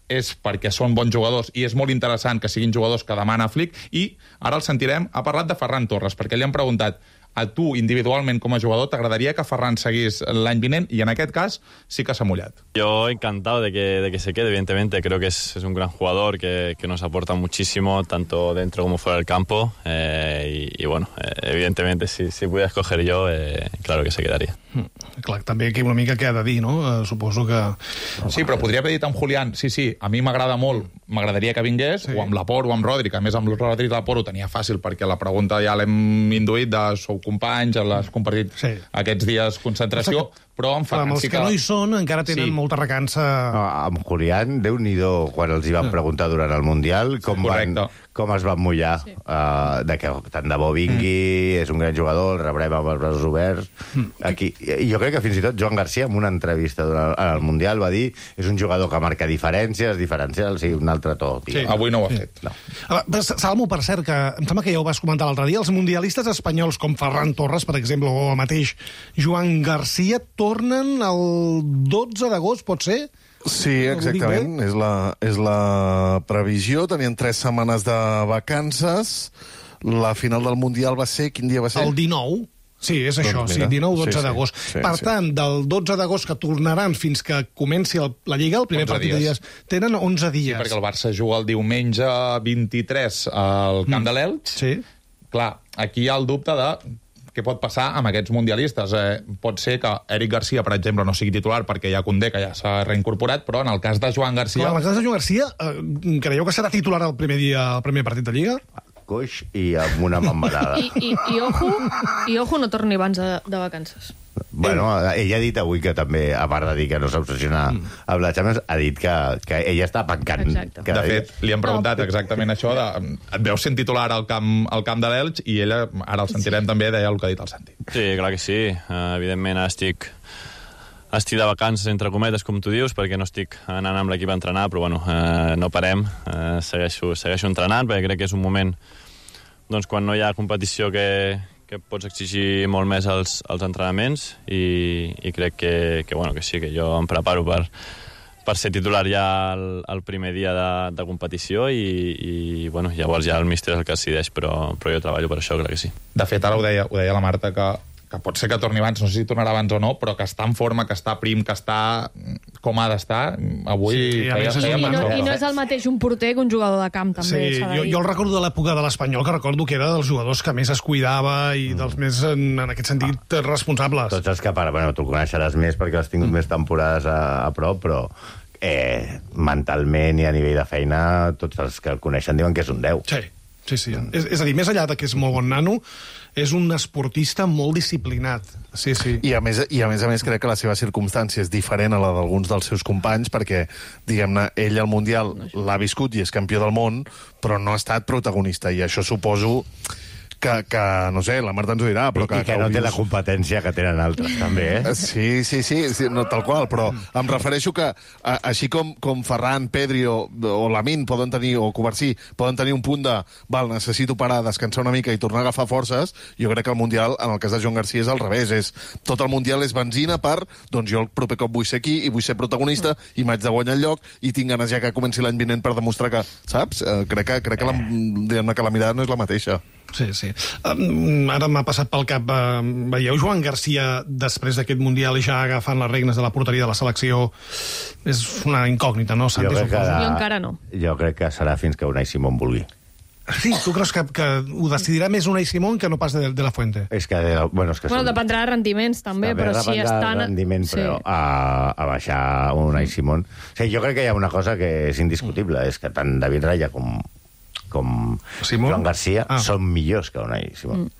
és perquè són bons jugadors i és molt interessant que siguin jugadors que demana Flick, i ara el sentirem, ha parlat de Ferran Torres, perquè li han preguntat a tu, individualment, com a jugador, t'agradaria que Ferran seguís l'any vinent, i en aquest cas sí que s'ha mullat. Yo encantado de que, de que se quede, evidentemente. Creo que es, es un gran jugador que, que nos aporta muchísimo, tanto dentro como fuera del campo. Eh, y, y bueno, eh, evidentemente, si, si pudiera escoger yo, eh, claro que se quedaría. Mm, clar, també aquí una mica què ha de dir, no? Uh, suposo que... Sí, però podria haver dit amb Julián, sí, sí, a mi m'agrada molt, m'agradaria que vingués, sí. o amb Laporte o amb Rodri, que a més amb Rodri i Laporte ho tenia fàcil, perquè la pregunta ja l'hem induït de sou companys, l'has compartit sí. aquests dies concentració, però amb Ferran els sí que... que no hi són encara tenen sí. molta recança... No, amb Julián, Déu-n'hi-do, quan els hi van preguntar durant el Mundial com, van, com es van mullar, sí. uh, de que tant de bo vingui, mm. és un gran jugador, el rebrem amb els braços oberts. Mm. Aquí, jo crec que fins i tot Joan Garcia, en una entrevista durant el Mundial, va dir és un jugador que marca diferències, diferencials, i un altre tot. Sí, avui no ho ha sí. fet. No. Salmo, per cert, que em sembla que ja ho vas comentar l'altre dia, els mundialistes espanyols com Ferran Torres, per exemple, o el mateix Joan Garcia, tornen el dotze d'agost, pot ser? Sí, exactament. És la, és la previsió. Tenien tres setmanes de vacances. La final del Mundial va ser... Quin dia va ser? El dinou. Sí, és doncs això, mira, sí, dinou dotze d'agost. Sí, sí, per sí. tant, del dotze d'agost que tornaran fins que comenci el, la Lliga, el primer partit de dies, tenen onze dies. Sí, perquè el Barça juga el diumenge vint-i-tres al Camp mm. de l'Elx. Sí. Clar, aquí hi ha el dubte de què pot passar amb aquests mundialistes. Eh, pot ser que Eric Garcia, per exemple, no sigui titular perquè hi ha Koundé, que ja s'ha reincorporat, però en el cas de Joan Garcia... Però en el cas de Joan Garcia, eh, creieu que serà titular el primer dia, el primer partit de Lliga? Coix i amb una mambarada. I, i, i, ojo, I ojo no torni abans de, de vacances. Bueno, ella ha dit avui que també, a part de dir que no s'obsessiona mm. amb la Champions, ha dit que, que ella està pencant. De fet, li han preguntat exactament això, de, et veus sent titular al camp, al camp de l'Elx, i ella, ara el sentirem sí. també, deia el que ha dit el Santi. Sí, clar que sí. Uh, evidentment, ara estic... Estic de vacances, entre cometes, com tu dius, perquè no estic anant amb l'equip a entrenar, però bueno, eh, no parem, eh, segueixo, segueixo entrenant, perquè crec que és un moment doncs, quan no hi ha competició que, que pots exigir molt més als, als entrenaments, i, i crec que, que, bueno, que sí, que jo em preparo per, per ser titular ja el, el primer dia de, de competició, i, i bueno, llavors ja el míster és el que decideix, però, però jo treballo per això, crec que sí. De fet, ara ho deia, ho deia la Marta, que que pot ser que torni abans, no sé si tornarà abans o no, però que està en forma, que està prim, que està com ha d'estar. Avui... Sí, feia, feia I, no, I no és el mateix un porter que un jugador de camp, també. Sí, jo, jo el recordo de l'època de l'Espanyol, que recordo que era dels jugadors que més es cuidava i mm. dels més, en, en aquest sentit, ah. responsables. Tots els que, para, bueno, tu coneixeràs més perquè has tingut mm. més temporades a, a prop, però eh, mentalment i a nivell de feina, tots els que el coneixen diuen que és un deu. Sí. Sí, sí. Mm. És, és a dir, més enllà de que és molt bon nano, és un esportista molt disciplinat. Sí, sí. I a més, i a més a més crec que la seva circumstància és diferent a la d'alguns dels seus companys, perquè, diguem-ne, ell al Mundial l'ha viscut i és campió del món, però no ha estat protagonista, i això suposo que, que no sé, la Marta ens ho dirà, però que... I que, que no té la competència que tenen altres, també, eh? Sí, sí, sí, sí no, tal qual, però em refereixo que, a, així com, com Ferran, Pedri o, o Lamine poden tenir, o Covarsí, poden tenir un punt de, val, necessito parar, descansar una mica i tornar a agafar forces, jo crec que el Mundial, en el cas de Joan Garcia, és al revés, és tot el Mundial és benzina per, doncs jo el proper cop vull ser aquí i vull ser protagonista i m'haig de guanyar el lloc i tinc ganes ja que comenci l'any vinent per demostrar que, saps? Eh, crec que, crec que, la, diguem-ne que la mirada no és la mateixa. Sí, sí. Um, ara m'ha passat pel cap, uh, veieu Joan Garcia després d'aquest Mundial i ja agafant les regnes de la porteria de la selecció? És una incògnita, no? Jo, crec que, jo encara no. Jo crec que serà fins que Unai Simón vulgui. Sí, tu creus que, que ho decidirà més Unai Simón que no pas de, de la Fuente? És que, bueno, és que bueno són... dependrà de rendiments, també, també però si estan... rendiment, sí. Però a, a baixar Unai Simón... O sigui, jo crec que hi ha una cosa que és indiscutible, és que tant David Raya com, com Simón? Joan Garcia ah. són millors que Unai Simón. Mm.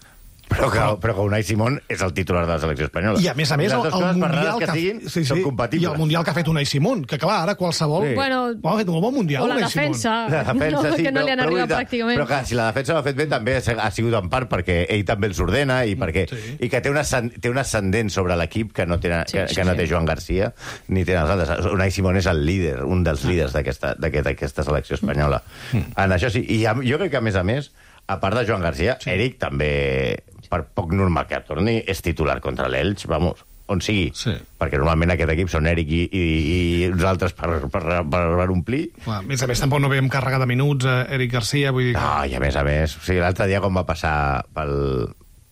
Però que, però que Unai Simón és el titular de la selecció espanyola. I a més a més, el, el Mundial que, que, siguin, sí, sí, són compatibles. I el Mundial que ha fet Unai Simón, que clar, ara qualsevol... Sí. Bueno, oh, ha fet un bon Mundial, o la Unai defensa, la defensa no, sí, que no però, li han però, arribat però, pràcticament. Però que si la defensa l'ha fet bé, també ha sigut en part perquè ell també els ordena i, perquè, sí. i que té un, té un ascendent sobre l'equip que no té, sí, que, sí, que no sí. té Joan Garcia ni té els altres. Unai Simón és el líder, un dels líders d'aquesta selecció espanyola. Mm. En això sí. I jo crec que, a més a més, a part de Joan Garcia, sí. Eric també... per poc normal que torni, és titular contra l'Elx, vamos, on sigui. Sí. Perquè normalment aquest equip són Eric i, i, i uns altres per, per, per, per omplir. Clar, a més a més, tampoc no veiem càrrega de minuts a Eric Garcia, vull dir... Que... No, i a més a més, o sigui, l'altre dia quan va passar pel,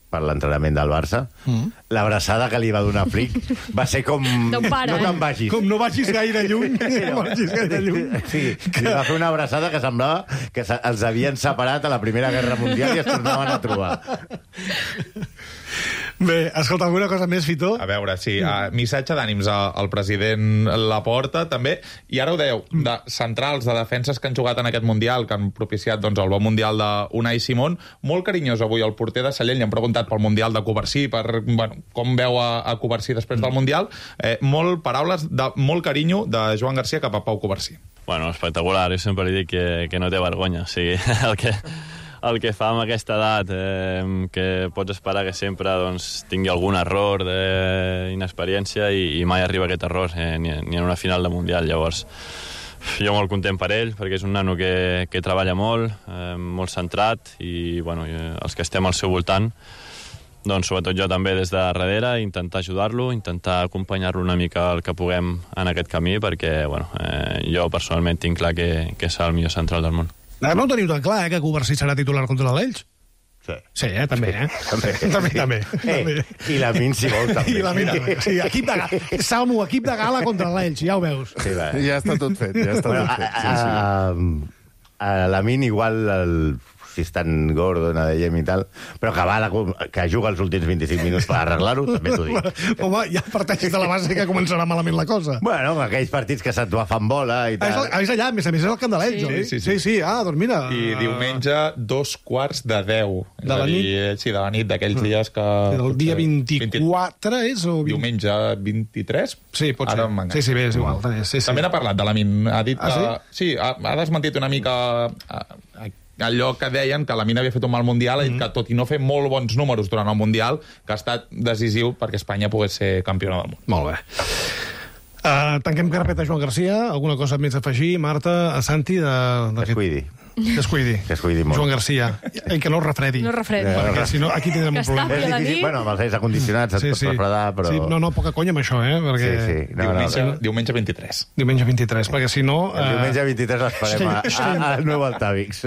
per l'entrenament del Barça, mm. l'abraçada que li va donar Flick va ser com... Pare, no te'n vagis. Com no vagis gaire lluny. No vagis gaire lluny. Sí, que... li va fer una abraçada que semblava que els havien separat a la Primera Guerra Mundial i es tornaven a trobar. Bé, escolta, alguna cosa més, Fito? A veure, sí, uh, missatge d'ànims al, al president Laporta, també, i ara ho dèieu, de centrals, de defenses que han jugat en aquest Mundial, que han propiciat doncs, el bon Mundial d'Unai Simón, molt carinyós avui el porter de Sallent, li han preguntat pel Mundial de Covarsí, per, bueno, com veu a, a Covarsí després del Mundial, eh, molt paraules de molt carinyo de Joan Garcia cap a Pau Covarsí. Bueno, espectacular, jo sempre li dic que, que no té vergonya, o sigui, el que... el que fa amb aquesta edat, eh, que pots esperar que sempre doncs, tingui algun error d'inexperiència i, i mai arriba aquest error, eh, ni, ni en una final de Mundial. Llavors, jo molt content per ell, perquè és un nano que, que treballa molt, eh, molt centrat, i bueno, els que estem al seu voltant, doncs sobretot jo també des de darrere, intentar ajudar-lo, intentar acompanyar-lo una mica el que puguem en aquest camí, perquè bueno, eh, jo personalment tinc clar que, que serà el millor central del món. No ho teniu tan clar, eh, que Covarsí serà titular contra l'Elx? Sí. Sí, eh, també, eh? També, també, també. Eh, també. I la Min, si vol, també. I la Min, sí, equip de gala. Salmo, equip de gala contra l'Elx, ja ho veus. Sí, va. Ja està tot fet, ja està bueno, tot fet. Sí, a, sí. a, a la Min igual el, si és tan gordo, no dèiem i tal, però que, va, que juga els últims vint-i-cinc minuts per arreglar-ho, també t'ho dic. Home, ja parteixes de la base que començarà malament la cosa. Bueno, aquells partits que se't va fan bola i tal. Ah, és allà, a més a més, és el camp de l'Elx, sí. oi? Sí, sí, sí, sí. Ah, doncs mira... I diumenge, dos quarts de deu. De la nit? Dir, sí, de la nit, d'aquells dies que... El dia vint-i-quatre és? O vint... Diumenge vint-i-tres? Sí, pot ser. Sí, sí, bé, és igual. Sí, sí. També n'ha parlat de la Min. Ha dit ah, que... Sí? Sí, ha, ha desmentit una mica... A, a, allò que deien que la Mina havia fet un mal Mundial, mm. i que tot i no fer molt bons números durant el Mundial, que ha estat decisiu perquè Espanya pogués ser campiona del món. Molt bé. Uh, tanquem carpeta Joan Garcia. Alguna cosa més a afegir, Marta, a Santi? De, de que es cuidi. Que es cuidi. Que es cuidi molt. Joan Garcia. I que no refredi. No refredi. Eh, perquè si no, aquí tindrem un problema. És difícil, bueno, amb els aires acondicionats et sí, pots sí. refredar, però... Sí, no, no, poca conya amb això, eh? Perquè... Sí, sí. No, diumenge, no, no. diumenge vint-i-tres. Diumenge vint-i-tres, perquè si no... El diumenge vint-i-tres l'esperem al nou Altavix.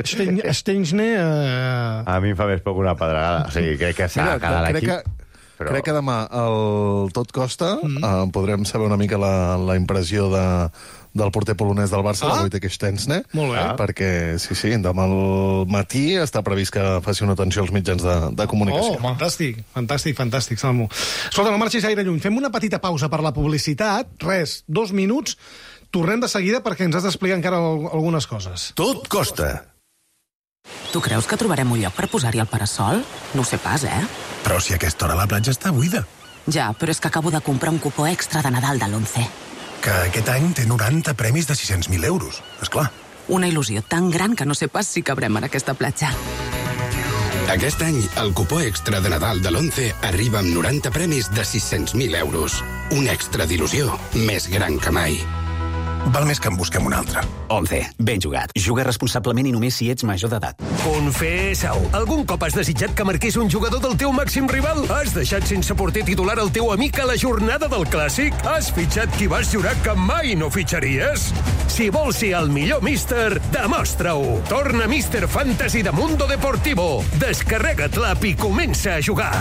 Steinsne... Uh... A mi em fa més poc una pedregada. O sigui, crec que s'ha de quedar l'equip. Que... Però... Crec que demà el Tot Costa mm -hmm. eh, podrem saber una mica la, la impressió de, del porter polonès del Barça, ah? el Wojtek Szczęsny. Molt bé. Ah? Perquè, sí, sí, demà al matí està previst que faci una atenció als mitjans de, de comunicació. Oh, fantàstic, fantàstic, fantàstic, Salmo. Escolta, no marxis gaire lluny. Fem una petita pausa per la publicitat. Res, dos minuts. Tornem de seguida perquè ens has d'explicar encara algunes coses. Tot costa. Tu creus que trobarem un lloc per posar-hi el parasol? No ho sé pas, eh? Però si a aquesta hora la platja està buida. Ja, però és que acabo de comprar un cupó extra de Nadal de l'Once. Que aquest any té noranta premis de sis-cents mil euros, esclar. Una il·lusió tan gran que no sé pas si cabrem en aquesta platja. Aquest any, el cupó extra de Nadal de l'Once arriba amb noranta premis de sis-cents mil euros. Un extra d'il·lusió més gran que mai. Val més que en busquem un altre. Once. Ben jugat. Juga responsablement i només si ets major d'edat. Confessa-ho. Algun cop has desitjat que marqués un jugador del teu màxim rival? Has deixat sense porter titular el teu amic a la jornada del Clàssic? Has fitxat qui vas jurar que mai no fitxaries? Si vols ser el millor míster, demostra-ho. Torna Míster Fantasy de Mundo Deportivo. Descarrega't l'app i comença a jugar.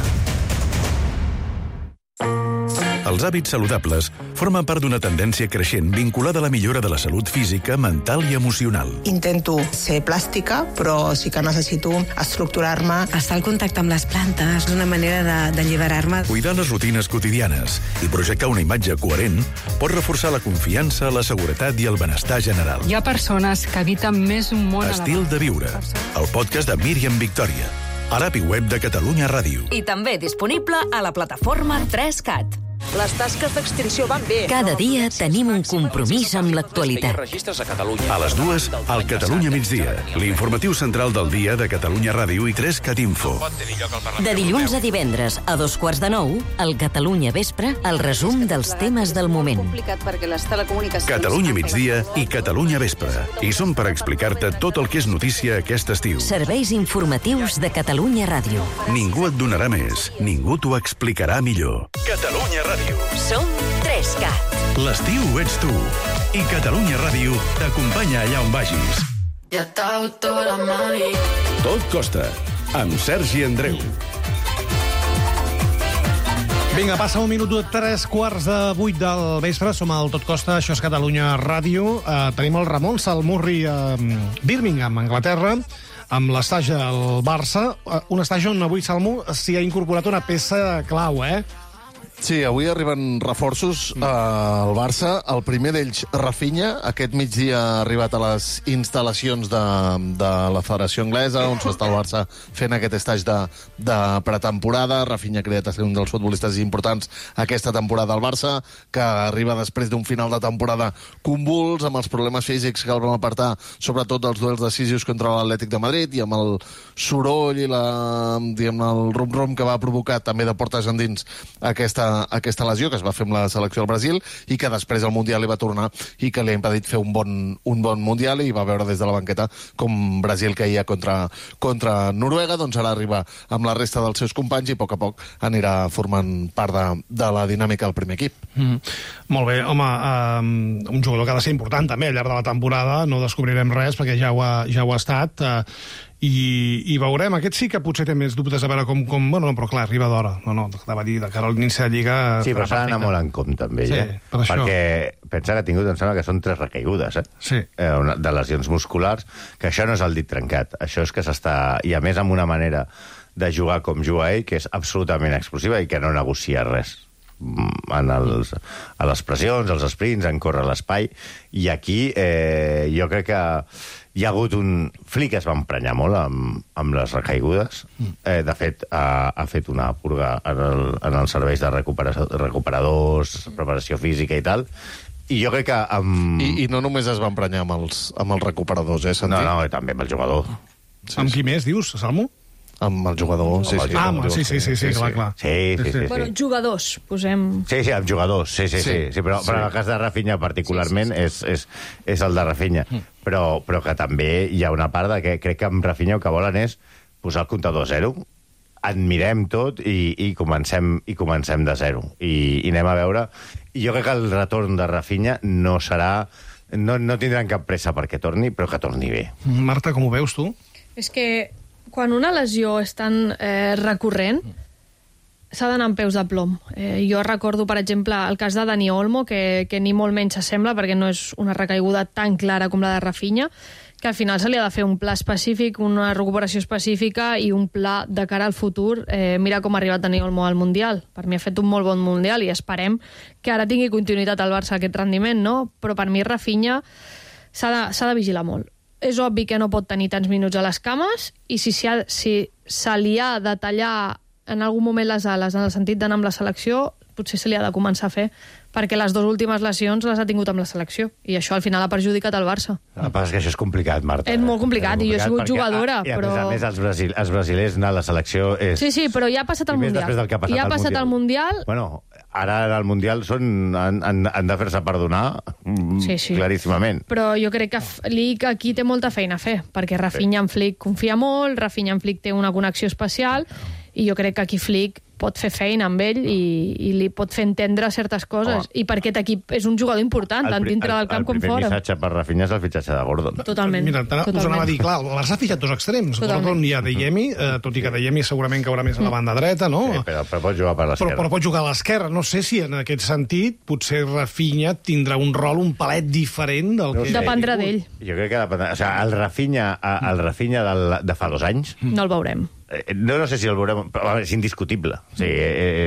Els hàbits saludables formen part d'una tendència creixent vinculada a la millora de la salut física, mental i emocional. Intento ser plàstica, però sí que necessito estructurar-me. Estar al contacte amb les plantes, una manera de- d'alliberar-me. Cuidar les rutines quotidianes i projectar una imatge coherent pot reforçar la confiança, la seguretat i el benestar general. Hi ha persones que habiten més un món Estil de viure, el podcast de Míriam Victòria, a l'app i web de Catalunya Ràdio. I també disponible a la plataforma tres cat. Les tasques d'extinció van bé. Cada dia tenim un compromís amb l'actualitat. A les dues, al Catalunya migdia, l'informatiu central del dia de Catalunya Ràdio i tres cat Info. De dilluns a divendres, a dos quarts de nou, al Catalunya Vespre, el resum dels temes del moment. Complicat perquè les telecomunicacions... Catalunya migdia i Catalunya Vespre. I som per explicar-te tot el que és notícia aquest estiu. Serveis informatius de Catalunya Ràdio. Ningú et donarà més, ningú t'ho explicarà millor. Catalunya Ràdio. Som tres cat. L'estiu ets tu. I Catalunya Ràdio t'acompanya allà on vagis. Ja t'auto la mani. Tot costa, amb Sergi Andreu. Vinga, passa un minut de tres quarts de vuit del vespre. Som al Tot Costa, això és Catalunya Ràdio. Uh, tenim el Ramon Salmurri a Birmingham, Anglaterra, amb l'estatge al Barça. Uh, un estatge on avui Salmo s'hi ha incorporat una peça clau, eh? Sí, avui arriben reforços eh, al Barça. El primer d'ells, Rafinha. Aquest migdia ha arribat a les instal·lacions de, de la Federació Anglesa, on s'està el Barça fent aquest estatge de, de pretemporada. Rafinha ha creat a ser un dels futbolistes importants aquesta temporada al Barça, que arriba després d'un final de temporada convuls, amb els problemes físics que el vam apartar, sobretot dels duels decisius contra l'Atlètic de Madrid, i amb el soroll i la, diguem, el rum-rum que va provocar també de portes endins aquesta aquesta lesió que es va fer amb la selecció del Brasil i que després al Mundial hi va tornar i que li ha impedit fer un bon, un bon Mundial, i va veure des de la banqueta com Brasil caia contra, contra Noruega. Doncs ara arriba amb la resta dels seus companys i a poc a poc anirà formant part de, de la dinàmica del primer equip. Mm. Molt bé, home, um, un jugador que ha de ser important també al llarg de la temporada, no descobrirem res perquè ja ho ha, ja ho ha estat, uh, i, i veurem. Aquest sí que potser té més dubtes a veure com... com bueno, no, però clar, arriba d'hora. No, no, de dir, de cara a l'inici de Lliga... Sí, però s'ha d'anar molt en compte amb ell, sí, eh? per això. Perquè pensa que ha tingut, em sembla que són tres recaigudes, eh? Sí. Eh, una, de lesions musculars, que això no és el dit trencat. Això és que s'està... I a més amb una manera de jugar com juga ell, que és absolutament explosiva i que no negocia res. En els, a les pressions, als sprints, en córrer l'espai, i aquí eh, jo crec que hi ha hagut un... Flick es va emprenyar molt amb, amb les recaigudes. Eh, de fet, ha, ha fet una purga en, el, en els serveis de recupera, recuperadors, preparació física i tal, i jo crec que... Amb... I, I no només es va emprenyar amb els, amb els recuperadors, eh, Santi? No, no, també amb el jugador. Sí, amb qui més, dius, Salmo? Amb el jugador, sí, sí. Ah, amb, sí, sí, sí, sí, clar, clar. Sí, sí, sí. Bueno, jugadors, posem... Sí, sí, amb jugadors, sí, sí, sí. sí, sí però, sí. però en el cas de Rafinha particularment sí, sí, sí. És, és, és el de Rafinha. Mm. Però, però que també hi ha una part de que crec que amb Rafinha el que volen és posar el comptador a zero, admirem tot i, i, comencem, i comencem de zero. I, I anem a veure... I jo crec que el retorn de Rafinha no serà... No, no tindran cap pressa perquè torni, però que torni bé. Marta, com ho veus, tu? És que quan una lesió és tan eh, recurrent, s'ha d'anar amb peus de plom. Eh, jo recordo, per exemple, el cas de Dani Olmo, que, que ni molt menys s'assembla, perquè no és una recaiguda tan clara com la de Rafinha, que al final se li ha de fer un pla específic, una recuperació específica i un pla de cara al futur. Eh, mira com ha arribat Dani Olmo al Mundial. Per mi ha fet un molt bon Mundial i esperem que ara tingui continuïtat al Barça aquest rendiment, no? Però per mi Rafinha s'ha de, s'ha de vigilar molt. És obvi que no pot tenir tants minuts a les cames i si, si, ha, si se li ha de tallar en algun moment les ales en el sentit d'anar amb la selecció, potser se li ha de començar a fer, perquè les dues últimes lesions les ha tingut amb la selecció, i això al final ha perjudicat el Barça. El que passa és que això és complicat, Marta. És molt complicat, és i jo he sigut perquè, jugadora, I a però... més a més, els, brasil, els brasilers anar a la selecció és... Sí, sí, però ja ha passat el I més Mundial. després del que ha passat ja ha al passat Mundial. el Mundial... Bueno, ara al Mundial són, han, han, han de fer-se perdonar Sí, sí. claríssimament. Però jo crec que Flick aquí té molta feina a fer, perquè Rafinha en Flick confia molt, Rafinha en Flick té una connexió especial, i jo crec que aquí Flick pot fer feina amb ell i, i li pot fer entendre certes coses. Oh. I per aquest equip és un jugador important, tant dintre del camp com fora. El primer missatge per Rafinha és el fitxatge de Gordon. Totalment. Mira, us anava a dir, clar, el Barça ha fitxat dos extrems. Totalment. Gordon i Adeyemi, eh, tot i que Adeyemi segurament caurà més a la banda dreta, no? Sí, però, però pot jugar per l'esquerra. Però, però pot jugar a l'esquerra. No sé si en aquest sentit potser Rafinha tindrà un rol un palet diferent del No que... sé. Dependrà d'ell. Jo crec que dependrà... O sigui, el Rafinha, el Rafinha del, de fa dos anys... No el veurem. No, no sé si el veurem, però és indiscutible. O sigui,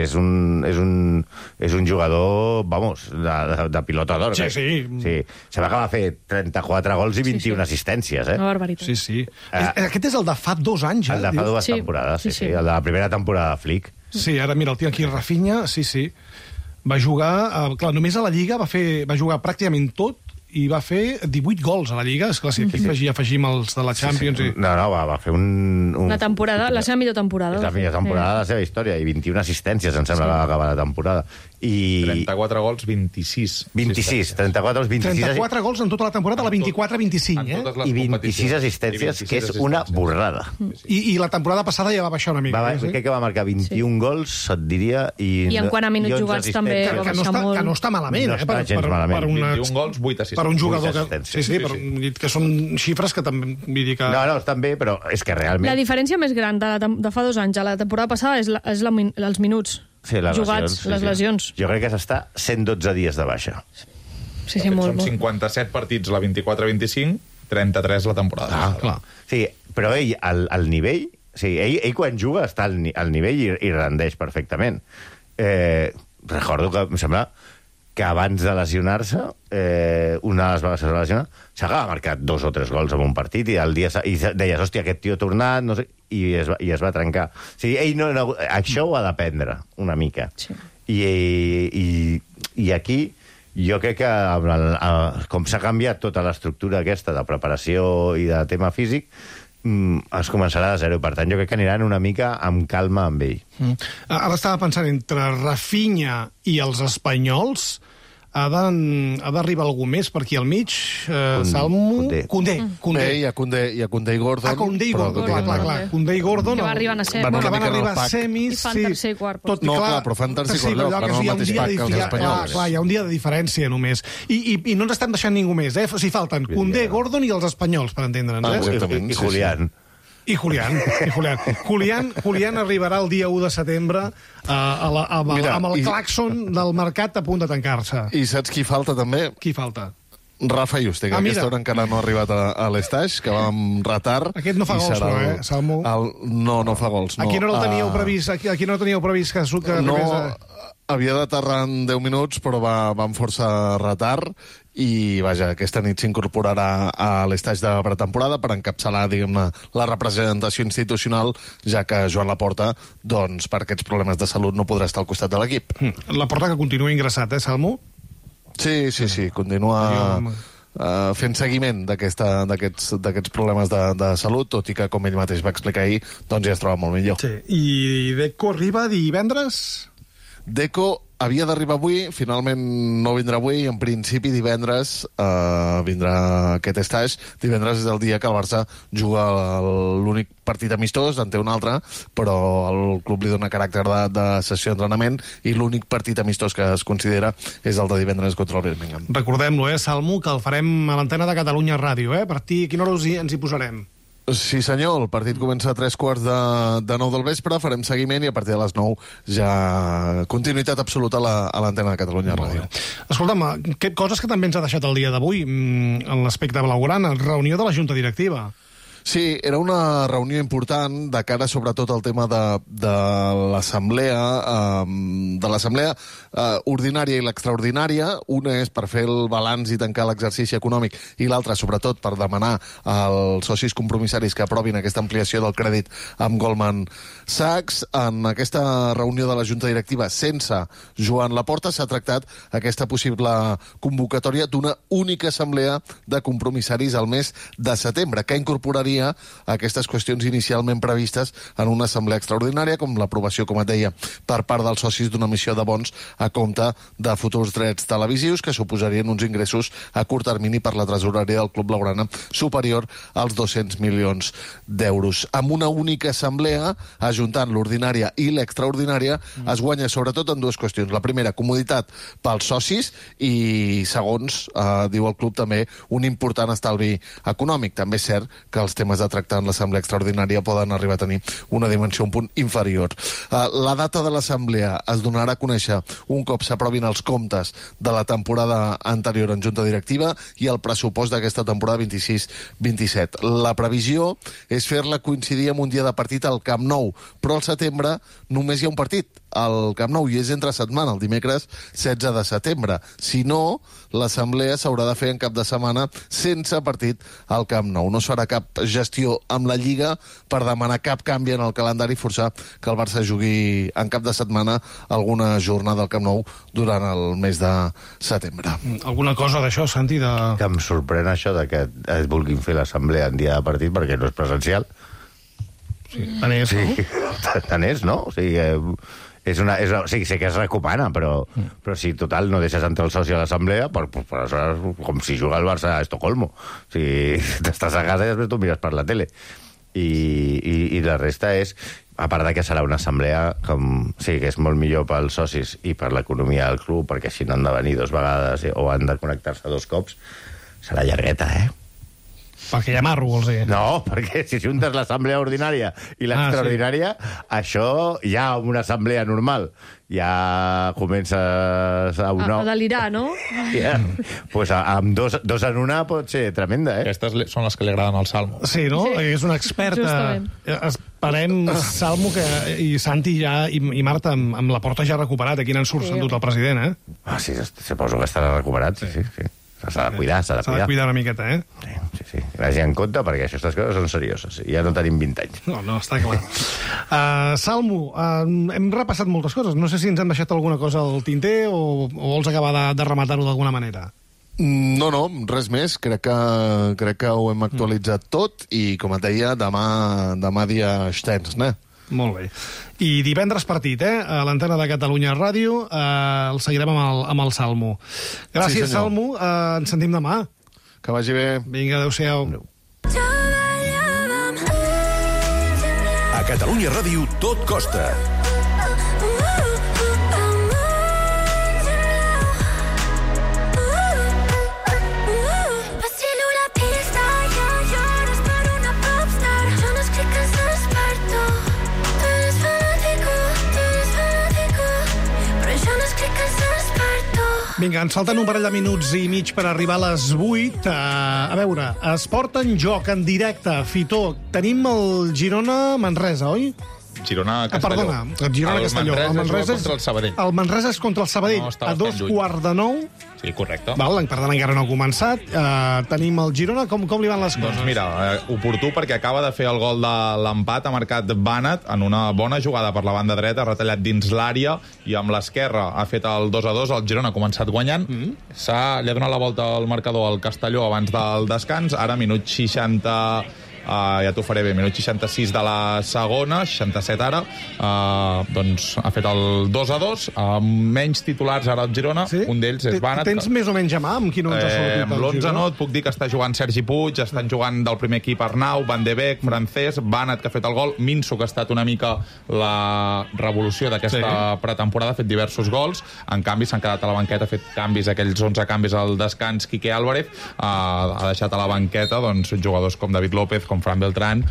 és, un, és, un, és un jugador, vamos, de, de, de pilota d'or. Sí, sí. sí. Se va acabar de fer trenta-quatre gols i vint-i-una Sí, sí. assistències, eh? Una barbaritat. Sí, sí. Eh, Aquest és el de fa dos anys, eh? El de fa dues Sí. temporades, sí, Sí, sí, sí. El de la primera temporada de Flick. Sí, ara mira, el tinc aquí, Rafinha, sí, sí. Va jugar, eh, clar, només a la Lliga va, fer, va jugar pràcticament tot i va fer divuit gols a la Lliga. Esclar, si aquí afegim, afegim els de la Champions... Sí, sí. I... No, no, va, va fer un... un... La temporada, la seva millor temporada. És la millor temporada de la seva història, i vint-i-una assistències, em sembla, sí. que va acabar la temporada. I... trenta-quatre gols, vint-i-sis. vint-i-sis, trenta-quatre gols, vint-i-sis... trenta-quatre gols en tota la temporada, la vint-i-quatre vint-i-cinc, eh? I vint-i-sis assistències, que és una borrada. I, I la temporada passada ja va baixar una mica. Va, eh, sí? crec que va marcar vint-i-un sí. gols, et diria, i... I en quant a minuts i onze jugats també assistències. va que, no baixar està, molt. que no està malament, No eh? està gens malament. Per, una, vint-i-un gols, vuit assistències. per un jugador vuit que... assistències. Sí, sí, Sí, però, sí. que són xifres que també... Vull dir que... No, no, estan bé, però és que realment... La diferència més gran de, la, de fa dos anys a la temporada passada és, la, és la, min- els minuts Sí, les jugats, lesions, sí, les sí. lesions. Jo crec que s'està cent dotze dies de baixa. Sí, sí, molt, Són molt. cinquanta-set partits la vint-i-quatre vint-i-cinc, trenta-tres la temporada. Ah, clar. Sí, però ell, al, al nivell... Sí, ell, ell quan juga està al, ni- al nivell i, i rendeix perfectament. Eh, recordo que em sembla que abans de lesionar-se, eh, una de les vegades que es va lesionar, s'acaba marcat dos o tres gols en un partit i el dia sa- i deies, hòstia, aquest tio ha tornat, no sé, i es va, i es va trencar. O sigui, ell no, no, això ho ha d'aprendre una mica. Sí. I, i, I aquí jo crec que amb el, el, com s'ha canviat tota l'estructura aquesta de preparació i de tema físic, mm, es començarà de zero. Per tant, jo crec que aniran una mica amb calma amb ell. Mm. Ara estava pensant, entre Rafinha i els espanyols, ha de- ha d'arribar algú més per aquí al mig. Eh, Salmo... Koundé. Koundé. Koundé, hi ha Koundé, hi ha Koundé i Gordon. Ah, Koundé i però Gordon, que clar, clar, clar. Koundé i Gordon... Que va arribar a ser- Van Bueno, una van mica en el arribar a pack. semis, I fan sí. tercer i quart, Tot i No, clar, clar, però fan tercer i sí, quart lloc, allò que van al hi ha un mateix dia pack de que els difi- espanyols. Clar, clar, hi ha un dia de diferència només. I, i, i no ens estem deixant ningú més, eh? O sigui, falten Koundé, Gordon i els espanyols, per entendre'ns, Ah, eh? exactament, I, i sí, sí. Julián. I Julián, i Julián. Julián, Julián arribarà el dia u de setembre a, a la, amb, Mira, amb el i- claxon del mercat a punt de tancar-se. I saps qui falta també? Qui falta? Rafa Juste, que Ah, a mira. aquesta hora encara no ha arribat a, a l'estaix, que va amb retard. Aquest no fa i gols, serà no, el- eh, Salmo? El, no, no fa gols. No. Aquí no el teníeu Ah, previst, aquí, aquí no el teníeu previst que, que No, arribés a... havia d'aterrar en deu minuts, però va, va amb força retard i, vaja, aquesta nit s'incorporarà a l'estaix de pretemporada per encapçalar, diguem-ne, la representació institucional, ja que Joan Laporta, doncs, per aquests problemes de salut no podrà estar al costat de l'equip. La porta que continua ingressat, eh, Salmo? Sí, sí, sí, continua uh, fent seguiment d'aquesta- d'aquests d'aquests problemes de, de salut, tot i que, com ell mateix va explicar ahir, doncs ja es troba molt millor. Sí. I Deco arriba divendres? Deco havia d'arribar avui, finalment no vindrà avui, en principi divendres eh, vindrà aquest estaix. Divendres és el dia que el Barça juga l'únic partit amistós, en té un altre, però el club li dona caràcter de, de sessió d'entrenament i l'únic partit amistós que es considera és el de divendres contra el Birmingham. Recordem-lo, eh, Salmo, que el farem a l'antena de Catalunya Ràdio, eh? A partir, a quina hora us hi, ens hi posarem? Sí, senyor, el partit comença a tres quarts de, de nou del vespre, farem seguiment i a partir de les nou ja continuïtat absoluta a la- a l'antena de Catalunya Ràdio. Escolta'm, que, coses que també ens ha deixat el dia d'avui, mm, en l'aspecte blaugrana, reunió de la Junta Directiva. Sí, era una reunió important de cara sobretot al tema de, de l'assemblea eh, de l'assemblea eh, ordinària i l'extraordinària. Una és per fer el balanç i tancar l'exercici econòmic i l'altra, sobretot, per demanar als socis compromissaris que aprovin aquesta ampliació del crèdit amb Goldman Sachs. En aquesta reunió de la Junta Directiva sense Joan Laporta s'ha tractat aquesta possible convocatòria d'una única assemblea de compromissaris al mes de setembre, que incorporaria aquestes qüestions inicialment previstes en una assemblea extraordinària, com l'aprovació, com et deia, per part dels socis d'una emissió de bons a compte de futurs drets televisius, que suposarien uns ingressos a curt termini per la tresoreria del Club Blaugrana superior als dos-cents milions d'euros. Amb una única assemblea, ajuntant l'ordinària i l'extraordinària, mm. es guanya sobretot en dues qüestions. La primera, comoditat pels socis i, segons, eh, diu el club també, un important estalvi econòmic. També és cert que els temes de tractar en l'assemblea extraordinària poden arribar a tenir una dimensió un punt inferior. Uh, la data de l'assemblea es donarà a conèixer un cop s'aprovin els comptes de la temporada anterior en Junta Directiva i el pressupost d'aquesta temporada vint-i-sis vint-i-set. La previsió és fer-la coincidir amb un dia de partit al Camp Nou, però al setembre només hi ha un partit al Camp Nou i és entre setmana, el dimecres setze de setembre. Si no, l'assemblea s'haurà de fer en cap de setmana sense partit al Camp Nou. No es farà cap gestió amb la Lliga per demanar cap canvi en el calendari i forçar que el Barça jugui en cap de setmana alguna jornada al Camp Nou durant el mes de setembre. Alguna cosa d'això, Santi? De... Que em sorprèn això de que es vulguin fer l'assemblea en dia de partit perquè no és presencial. Sí, tant és, sí, no? Tant és, no? O sigui, eh, és una, és una, sí, sé que es recomana, però, mm. però si total no deixes entrar el soci a l'assemblea, per, per, per, com si juga el Barça a Estocolmo. O sigui, t'estàs a casa i després tu mires per la tele. I, i, i la resta és, a part de que serà una assemblea com, sí, que és molt millor pels socis i per l'economia del club, perquè així no han de venir dues vegades o han de connectar-se dos cops, serà llargueta, eh? Perquè hi ha marro, vols dir? No, perquè si juntes l'assemblea ordinària i l'extraordinària, ah, sí. Això ja una assemblea normal. Ja comences a una... A delirar, no? Ja. Pues amb dos, dos en una pot ser tremenda, eh? Aquestes són les que li agraden al Salmo. Sí, no? Sí. És una experta. Justament. Esperem, Salmo, que, i Santi ja, i, i Marta, amb, amb la porta ja recuperat. Aquí n'en surt, sí. S'ha endut el president, eh? Ah, sí, suposo que estarà recuperat, sí, sí, sí. S'ha de cuidar, s'ha de cuidar. S'ha de cuidar una miqueta, eh? Sí, sí, sí. Vagi en compte, perquè aquestes coses són serioses. Ja no tenim vint anys. No, no, està clar. uh, Salmo, uh, hem repassat moltes coses. No sé si ens han deixat alguna cosa al tinter o, o vols acabar de, de rematar-ho d'alguna manera. No, no, res més. Crec que, crec que ho hem actualitzat tot i, com et deia, demà, demà dia extens, ne? Molt bé. I divendres partit, eh? A l'antena de Catalunya Ràdio. Eh, el seguirem amb el, amb el Salmo. Gràcies, sí, Salmo. Eh, ens sentim demà. Que vagi bé. Vinga, adéu-siau. A Catalunya Ràdio tot costa. Vinga, ens falten un parell de minuts i mig per arribar a les vuit. Uh, a veure, esport en joc, en directe. Fitó, tenim el Girona-Manresa, oi? Girona-Castelló. Ah, perdona, el Girona-Castelló. El Manresa és contra el Sabadell. El Manresa és contra el Sabadell, no, a dos quarts de nou. Sí, correcte. Val, per tant, encara no ha començat. Uh, tenim el Girona. Com, com li van les coses? Doncs mira, eh, oportú perquè acaba de fer el gol de l'empat, ha marcat Bànat en una bona jugada per la banda dreta, ha retallat dins l'àrea i amb l'esquerra ha fet el dos a dos. El Girona ha començat guanyant. Mm. S'ha, li ha donat la volta al marcador al Castelló abans del descans. Ara, minut seixanta... Uh, ja t'ho faré bé, minut seixanta-sis de la segona, seixanta-set ara, uh, doncs ha fet el dos a dos, amb uh, menys titulars ara al Girona, sí? Un d'ells és Bànat. Tens més o menys a mà amb qui no ens ha sortit eh, amb l'onze no, et puc dir que està jugant Sergi Puig, estan jugant del primer equip Arnau, Van de Beek, Francesc, Bànat, que ha fet el gol, Minso, que ha estat una mica la revolució d'aquesta sí. pretemporada, ha fet diversos gols, en canvi s'han quedat a la banqueta, ha fet canvis, aquells onze canvis al descans, Quique Álvarez, uh, ha deixat a la banqueta doncs, jugadors com David López, com Fran Beltrán,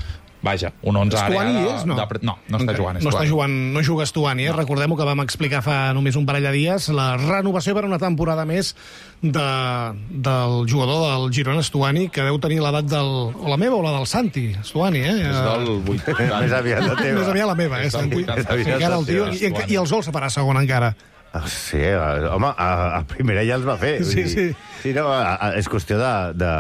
vaja, un onze ara... Estuani és, no? De, no, no està jugant. No està jugant, no juga Estuani, eh? No. Recordem-ho que vam explicar fa només un parell de dies, la renovació per una temporada més de, del jugador del Girona, Estuani, que deu tenir l'edat del... o la meva o la del Santi, Estuani, eh? És del vuitanta. Més aviat la teva. Més aviat la meva, eh, Santi? Encara el tio, i, i els vol separar segona encara. Sí, home, a, a primera ja els va fer. Sí, sí. Sí, no, a, a, és qüestió de... de...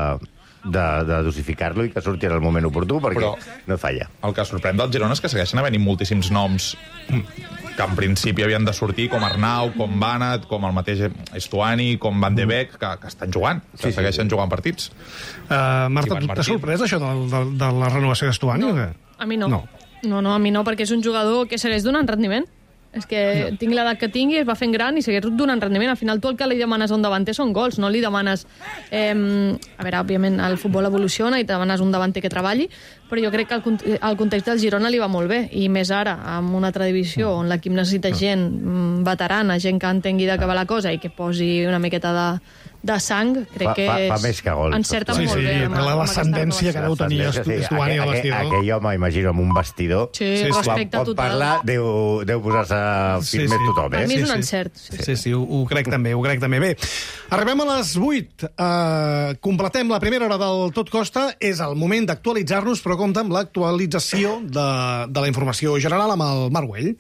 de, de dosificar-lo i que surti en el moment oportú, perquè però no falla. El que sorprèn del Girona és que segueixen havent-hi moltíssims noms que en principi havien de sortir, com Arnau, com Banat, com el mateix Estuani, com Van de Beek, que, que estan jugant, que sí, segueixen sí. jugant partits. Uh, Marta, tu t'has sorprès això de, de, de la renovació d'Estuani? No, a mi no. no. No, no, a mi no, perquè és un jugador que segueix donant rendiment. És que no. tinc l'edat que tingui, es va fent gran i segueix donant rendiment. Al final tu el que li demanes a un davanter són gols, no li demanes... Eh, a veure, òbviament el futbol evoluciona i te demanes un davanter que treballi, però jo crec que el, el context del Girona li va molt bé, i més ara, amb una altra divisió on l'equip necessita gent veterana, gent que entengui de què va la cosa i que posi una miqueta de, de sang, crec fa, que fa, fa és... més que gols. Encerta sí, molt sí, bé. Sí, sí, la descendència que deu tenir Estuani al vestidor. Aquell home, imagino, amb un vestidor. Sí, sí, respecte quan total. Pot parlar, deu, deu posar-se firme sí, sí. tothom, eh? Per mi és un sí, encert. Sí, sí, sí, sí ho, ho crec també, ho crec també. Bé, arribem a les vuit. Uh, completem la primera hora del Tot Costa. És el moment d'actualitzar-nos, però compta amb l'actualització de, de la informació general amb el Marc Güell.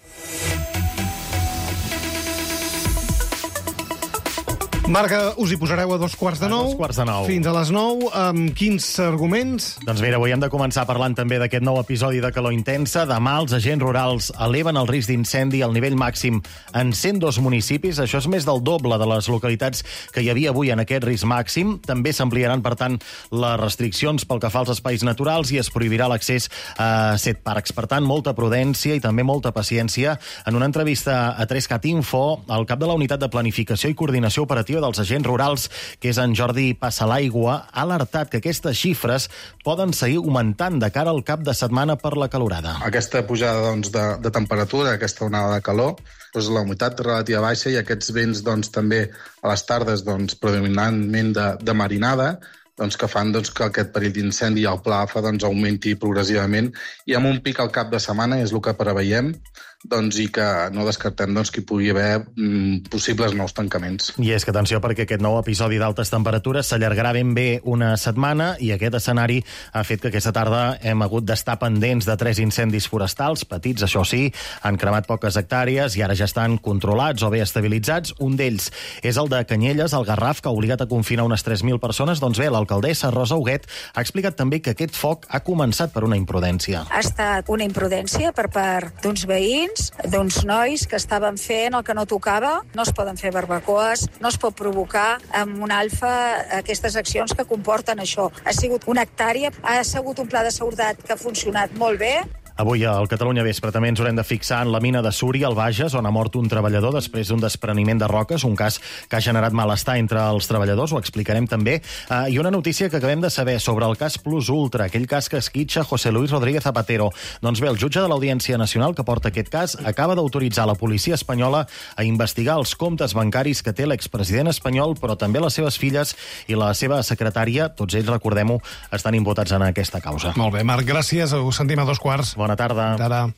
Marc, us hi posareu a dos quarts de nou. A dos quarts de nou. Fins a les nou. Amb quins arguments? Doncs mira, avui hem de començar parlant també d'aquest nou episodi de calor intensa. Demà els agents rurals eleven el risc d'incendi al nivell màxim en cent dos municipis. Això és més del doble de les localitats que hi havia avui en aquest risc màxim. També s'ampliaran, per tant, les restriccions pel que fa als espais naturals i es prohibirà l'accés a set parcs. Per tant, molta prudència i també molta paciència. En una entrevista a tres cat Info, el cap de la Unitat de Planificació i Coordinació Operativa dels agents rurals, que és en Jordi Passalaigua, ha alertat que aquestes xifres poden seguir augmentant de cara al cap de setmana per la calorada. Aquesta pujada doncs, de, de temperatura, aquesta onada de calor, doncs, la humitat relativa baixa i aquests vents doncs, també a les tardes doncs, predominantment de, de marinada, doncs, que fan doncs, que aquest perill d'incendi al pla fa doncs, augmenti progressivament i amb un pic al cap de setmana és el que preveiem doncs, i que no descartem doncs, que hi pugui haver mm, possibles nous tancaments. I és que, atenció, perquè aquest nou episodi d'altes temperatures s'allargarà ben bé una setmana i aquest escenari ha fet que aquesta tarda hem hagut d'estar pendents de tres incendis forestals, petits, això sí, han cremat poques hectàrees i ara ja estan controlats o bé estabilitzats. Un d'ells és el de Canyelles, al Garraf, que ha obligat a confinar unes tres mil persones. Doncs bé, l'alcaldessa Rosa Huguet ha explicat també que aquest foc ha començat per una imprudència. Ha estat una imprudència per part d'uns veïns, d'uns nois que estaven fent el que no tocava. No es poden fer barbacoes, no es pot provocar amb un alfa aquestes accions que comporten això. Ha sigut una hectàrea, ha sigut un pla de seguretat que ha funcionat molt bé. Avui al Catalunya Vespre també ens haurem de fixar en la mina de Súria, al Bages, on ha mort un treballador després d'un despreniment de roques, un cas que ha generat malestar entre els treballadors, ho explicarem també. Uh, I una notícia que acabem de saber sobre el cas Plus Ultra, aquell cas que esquitxa José Luis Rodríguez Zapatero. Doncs bé, el jutge de l'Audiència Nacional que porta aquest cas acaba d'autoritzar la policia espanyola a investigar els comptes bancaris que té l'expresident espanyol, però també les seves filles i la seva secretària. Tots ells, recordem-ho, estan imputats en aquesta causa. Molt bé, Marc, gràcies. Ho sentim a dos quarts. Bona tarda. Tarda.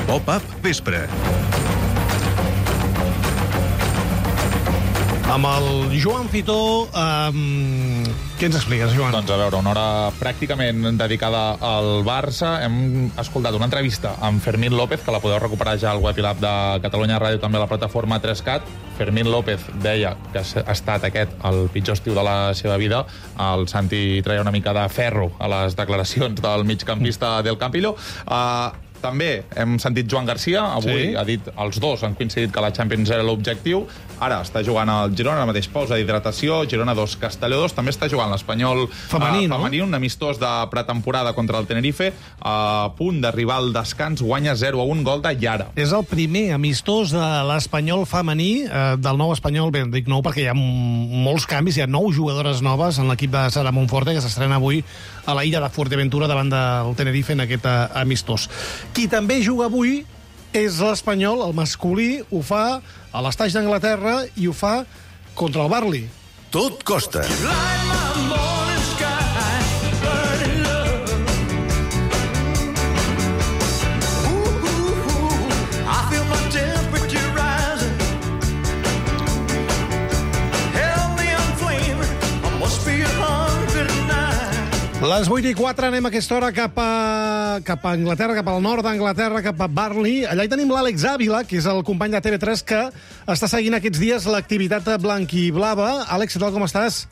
Pop-up Vespre. Amb el Joan Fitó, um, què ens expliques, Joan? Doncs a veure, una hora pràcticament dedicada al Barça. Hem escoltat una entrevista amb Fermín López, que la podeu recuperar ja al web i l'app de Catalunya Ràdio, també a la plataforma tres cat. Fermín López deia que ha estat aquest el pitjor estiu de la seva vida. El Santi treia una mica de ferro a les declaracions del migcampista del Campillo. Uh, També hem sentit Joan Garcia, avui sí. ha dit, els dos han coincidit que la Champions era l'objectiu. Ara està jugant el Girona, la mateix pausa d'hidratació, Girona dos, Castelló dos, també està jugant l'Espanyol femení, uh, no? femení, un amistós de pretemporada contra el Tenerife, a punt d'arribar al descans, guanya zero a un, gol de Yara. És el primer amistós de l'Espanyol femení, eh, del nou Espanyol, bé, dic nou perquè hi ha molts canvis, hi ha nou jugadores noves en l'equip de Sara Monforte, que s'estrena avui a la illa de Fuerteventura davant del Tenerife en aquest uh, amistós. Qui també juga avui és l'Espanyol, el masculí, ho fa a l'Estaix d'Anglaterra i ho fa contra el Burnley. Tot costa. Les vuit i quatre anem a aquesta hora cap a, cap a Anglaterra, cap al nord d'Anglaterra, cap a Burnley. Allà hi tenim l'Àlex Ávila, que és el company de T V tres que està seguint aquests dies l'activitat blanquiblava. Àlex, què tal, com estàs?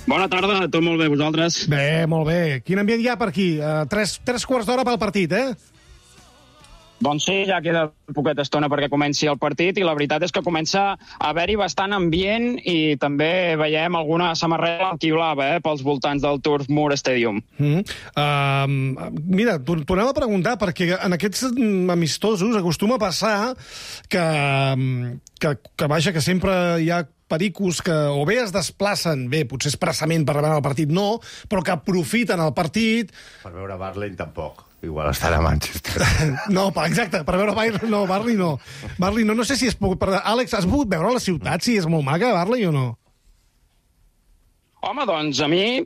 Bona tarda, tot molt bé, vosaltres? Bé, molt bé. Quin ambient hi ha per aquí? Uh, tres, tres quarts d'hora pel partit, eh? Doncs sí, ja queda poqueta estona perquè comenci el partit i la veritat és que comença a haver-hi bastant ambient i també veiem alguna samarreta blanquiblava eh, pels voltants del Turf Moor Stadium. Mm. Uh, mira, t'ho anava a preguntar perquè en aquests amistosos acostuma a passar que, que, que vaja, que sempre hi ha pericos que o bé es desplacen, bé, potser expressament per revelar el partit no, però que aprofiten el partit... Per veure Barley tampoc. Igual estarà a Manchester. No, exacte, per veure Barley no, Barley no. Barley no, no sé si és... Àlex, has pogut veure la ciutat, si és molt maca, Barley, o no? Home, doncs, a mi,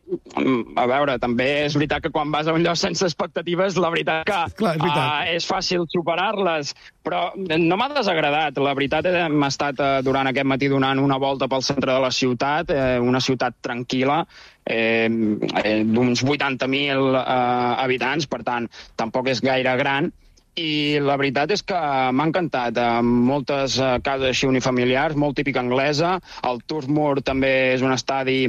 a veure, també és veritat que quan vas a un lloc sense expectatives, la veritat que Clar, és, veritat. Uh, és fàcil superar-les, però no m'ha desagradat. La veritat, hem estat uh, durant aquest matí donant una volta pel centre de la ciutat, eh, una ciutat tranquil·la, eh, eh, d'uns vuitanta mil uh, habitants, per tant, tampoc és gaire gran, i la veritat és que m'ha encantat. Moltes uh, cases així unifamiliars, molt típica anglesa, el Turf Moor també és un estadi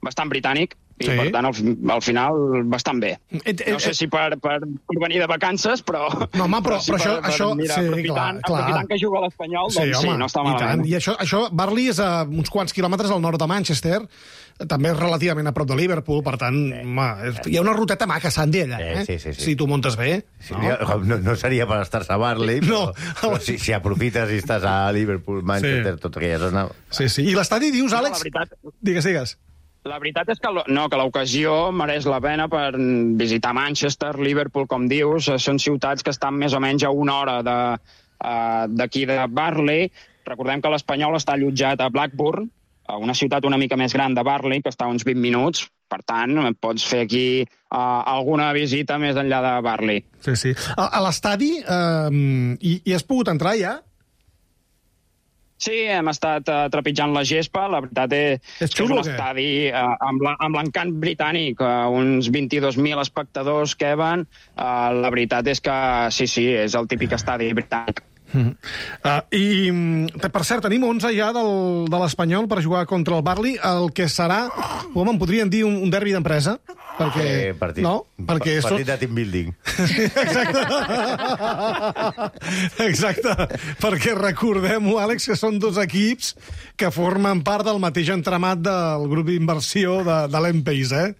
bastant britànic, i sí. Per tant, al, al final, bastant bé. Et, et, no sé si per, per, per venir de vacances, però... No, home, però, però, però això... per, això per, mira, sí, aprofitant, clar, aprofitant que juga a l'Espanyol, sí, doncs home, sí, no està malament. I, I això, això, Barley és a uns quants quilòmetres al nord de Manchester, també és relativament a prop de Liverpool, per tant, sí. home, hi ha una ruteta maca, Sandy, allà, eh? Sí, sí, sí. Si tu muntes bé. Sí, no? No, no seria per estar-se a Barley, però, no. però si, si aprofites i estàs a Liverpool, Manchester, sí. tota aquella zona... Sí, sí. I l'estadi, dius, Àlex... No, veritat... Digues, digues. La veritat és que, no, que l'ocasió mereix la pena per visitar Manchester, Liverpool, com dius. Són ciutats que estan més o menys a una hora d'aquí de, uh, de Barley. Recordem que l'Espanyol està allotjat a Blackburn, a una ciutat una mica més gran de Barley, que està a uns vint minuts. Per tant, pots fer aquí uh, alguna visita més enllà de Barley. Sí, sí. A, a l'estadi uh, hi, hi has pogut entrar ja? Sí, hem estat uh, trepitjant la gespa. La veritat és, és, xulo, és un estadi uh, amb l'encant britànic, uh, uns vint-i-dos mil espectadors que van. Uh, la veritat és que sí, sí, és el típic estadi britànic. Mm. Uh, I, per cert, tenim onze ja del, de l'Espanyol per jugar contra el Barley, el que serà, com en podrien dir, un, un derbi d'empresa. Perquè, eh, partit, no? Perquè partit de team building. Exacte. Exacte. Perquè recordem-ho, Àlex, que són dos equips que formen part del mateix entramat del grup d'inversió de, de l'Empeix, eh?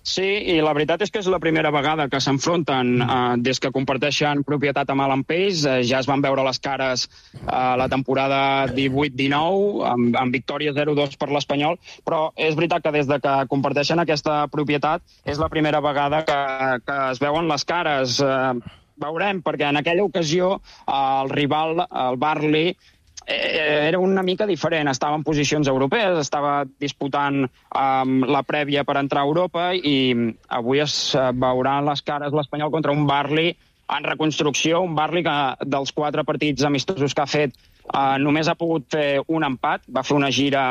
Sí, i la veritat és que és la primera vegada que s'enfronten eh, des que comparteixen propietat amb l'Empeix. Eh, ja es van veure les cares eh, la temporada divuit dinou, amb, amb victòria zero dos per l'Espanyol, però és veritat que des de que comparteixen aquesta propietat és la primera vegada que, que es veuen les cares. Eh, veurem, perquè en aquella ocasió eh, el rival, el Barley, era una mica diferent, estava en posicions europees, estava disputant um, la prèvia per entrar a Europa i avui es uh, veuran les cares l'Espanyol contra un Barley en reconstrucció, un Barley que dels quatre partits amistosos que ha fet uh, només ha pogut fer un empat, va fer una gira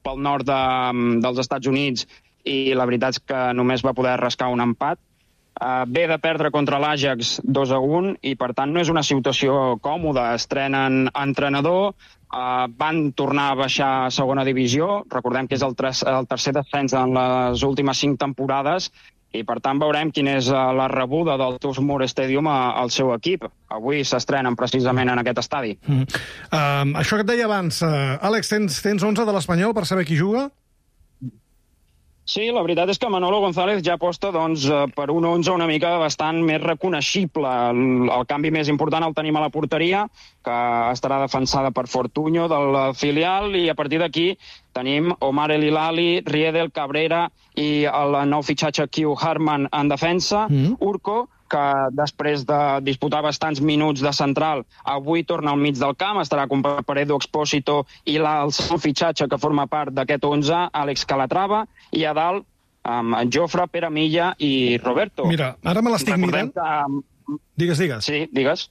pel nord de, dels Estats Units i la veritat és que només va poder rascar un empat. Uh, ve de perdre contra l'Ajax dos a un i, per tant, no és una situació còmoda. Estrenen entrenador, uh, van tornar a baixar a segona divisió, recordem que és el, tres, el tercer descens en les últimes cinc temporades, i, per tant, veurem quina és uh, la rebuda del Turf Moor Stadium a, al seu equip. Avui s'estrenen precisament en aquest estadi. Mm. Uh, això que et deia abans, uh, Àlex, tens, tens onze de l'Espanyol per saber qui juga? Sí, la veritat és que Manolo González ja aposta doncs, per un onze una mica bastant més reconeixible. El, el canvi més important el tenim a la porteria, que estarà defensada per Fortunyo del filial, i a partir d'aquí tenim Omar El Hilali, Riedel, Cabrera i el nou fitxatge Q Harman en defensa, mm. Urco, que després de disputar bastants minuts de central, avui torna al mig del camp, estarà acompanyat per Edu Expósito i el segon fitxatge que forma part d'aquest onze, Àlex Calatrava, i a dalt amb Jofre, Pere Milla i Roberto. Mira, ara me l'estic mirant. Que... Digues, digues. Sí, digues.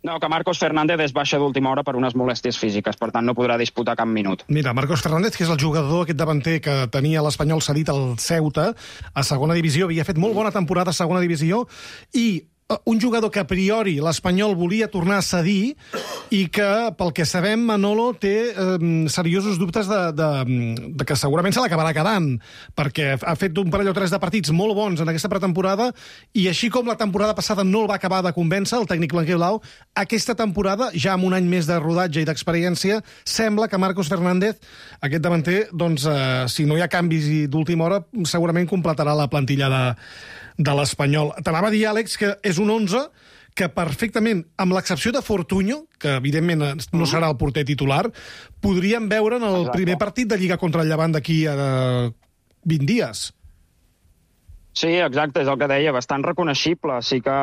No, que Marcos Fernández és baixa d'última hora per unes molèsties físiques, per tant no podrà disputar cap minut. Mira, Marcos Fernández, que és el jugador, aquest davanter que tenia l'Espanyol cedit al Ceuta, a segona divisió, havia fet molt bona temporada a segona divisió, i un jugador que a priori l'Espanyol volia tornar a cedir i que, pel que sabem, Manolo té eh, seriosos dubtes de, de, de que segurament se l'acabarà quedant, perquè ha fet un parell o tres de partits molt bons en aquesta pretemporada i així com la temporada passada no el va acabar de convèncer, el tècnic blanquiblau, aquesta temporada, ja amb un any més de rodatge i d'experiència, sembla que Marcos Fernández, aquest davanter, doncs, eh, si no hi ha canvis d'última hora, segurament completarà la plantilla de de l'Espanyol. T'anava a dir, Àlex, que és un onze que perfectament, amb l'excepció de Fortunyo, que evidentment no serà el porter titular, podríem veure en el Exacte. primer partit de Lliga contra el Llevant d'aquí a vint dies. Sí, exacte, és el que deia, bastant reconeixible. Sí que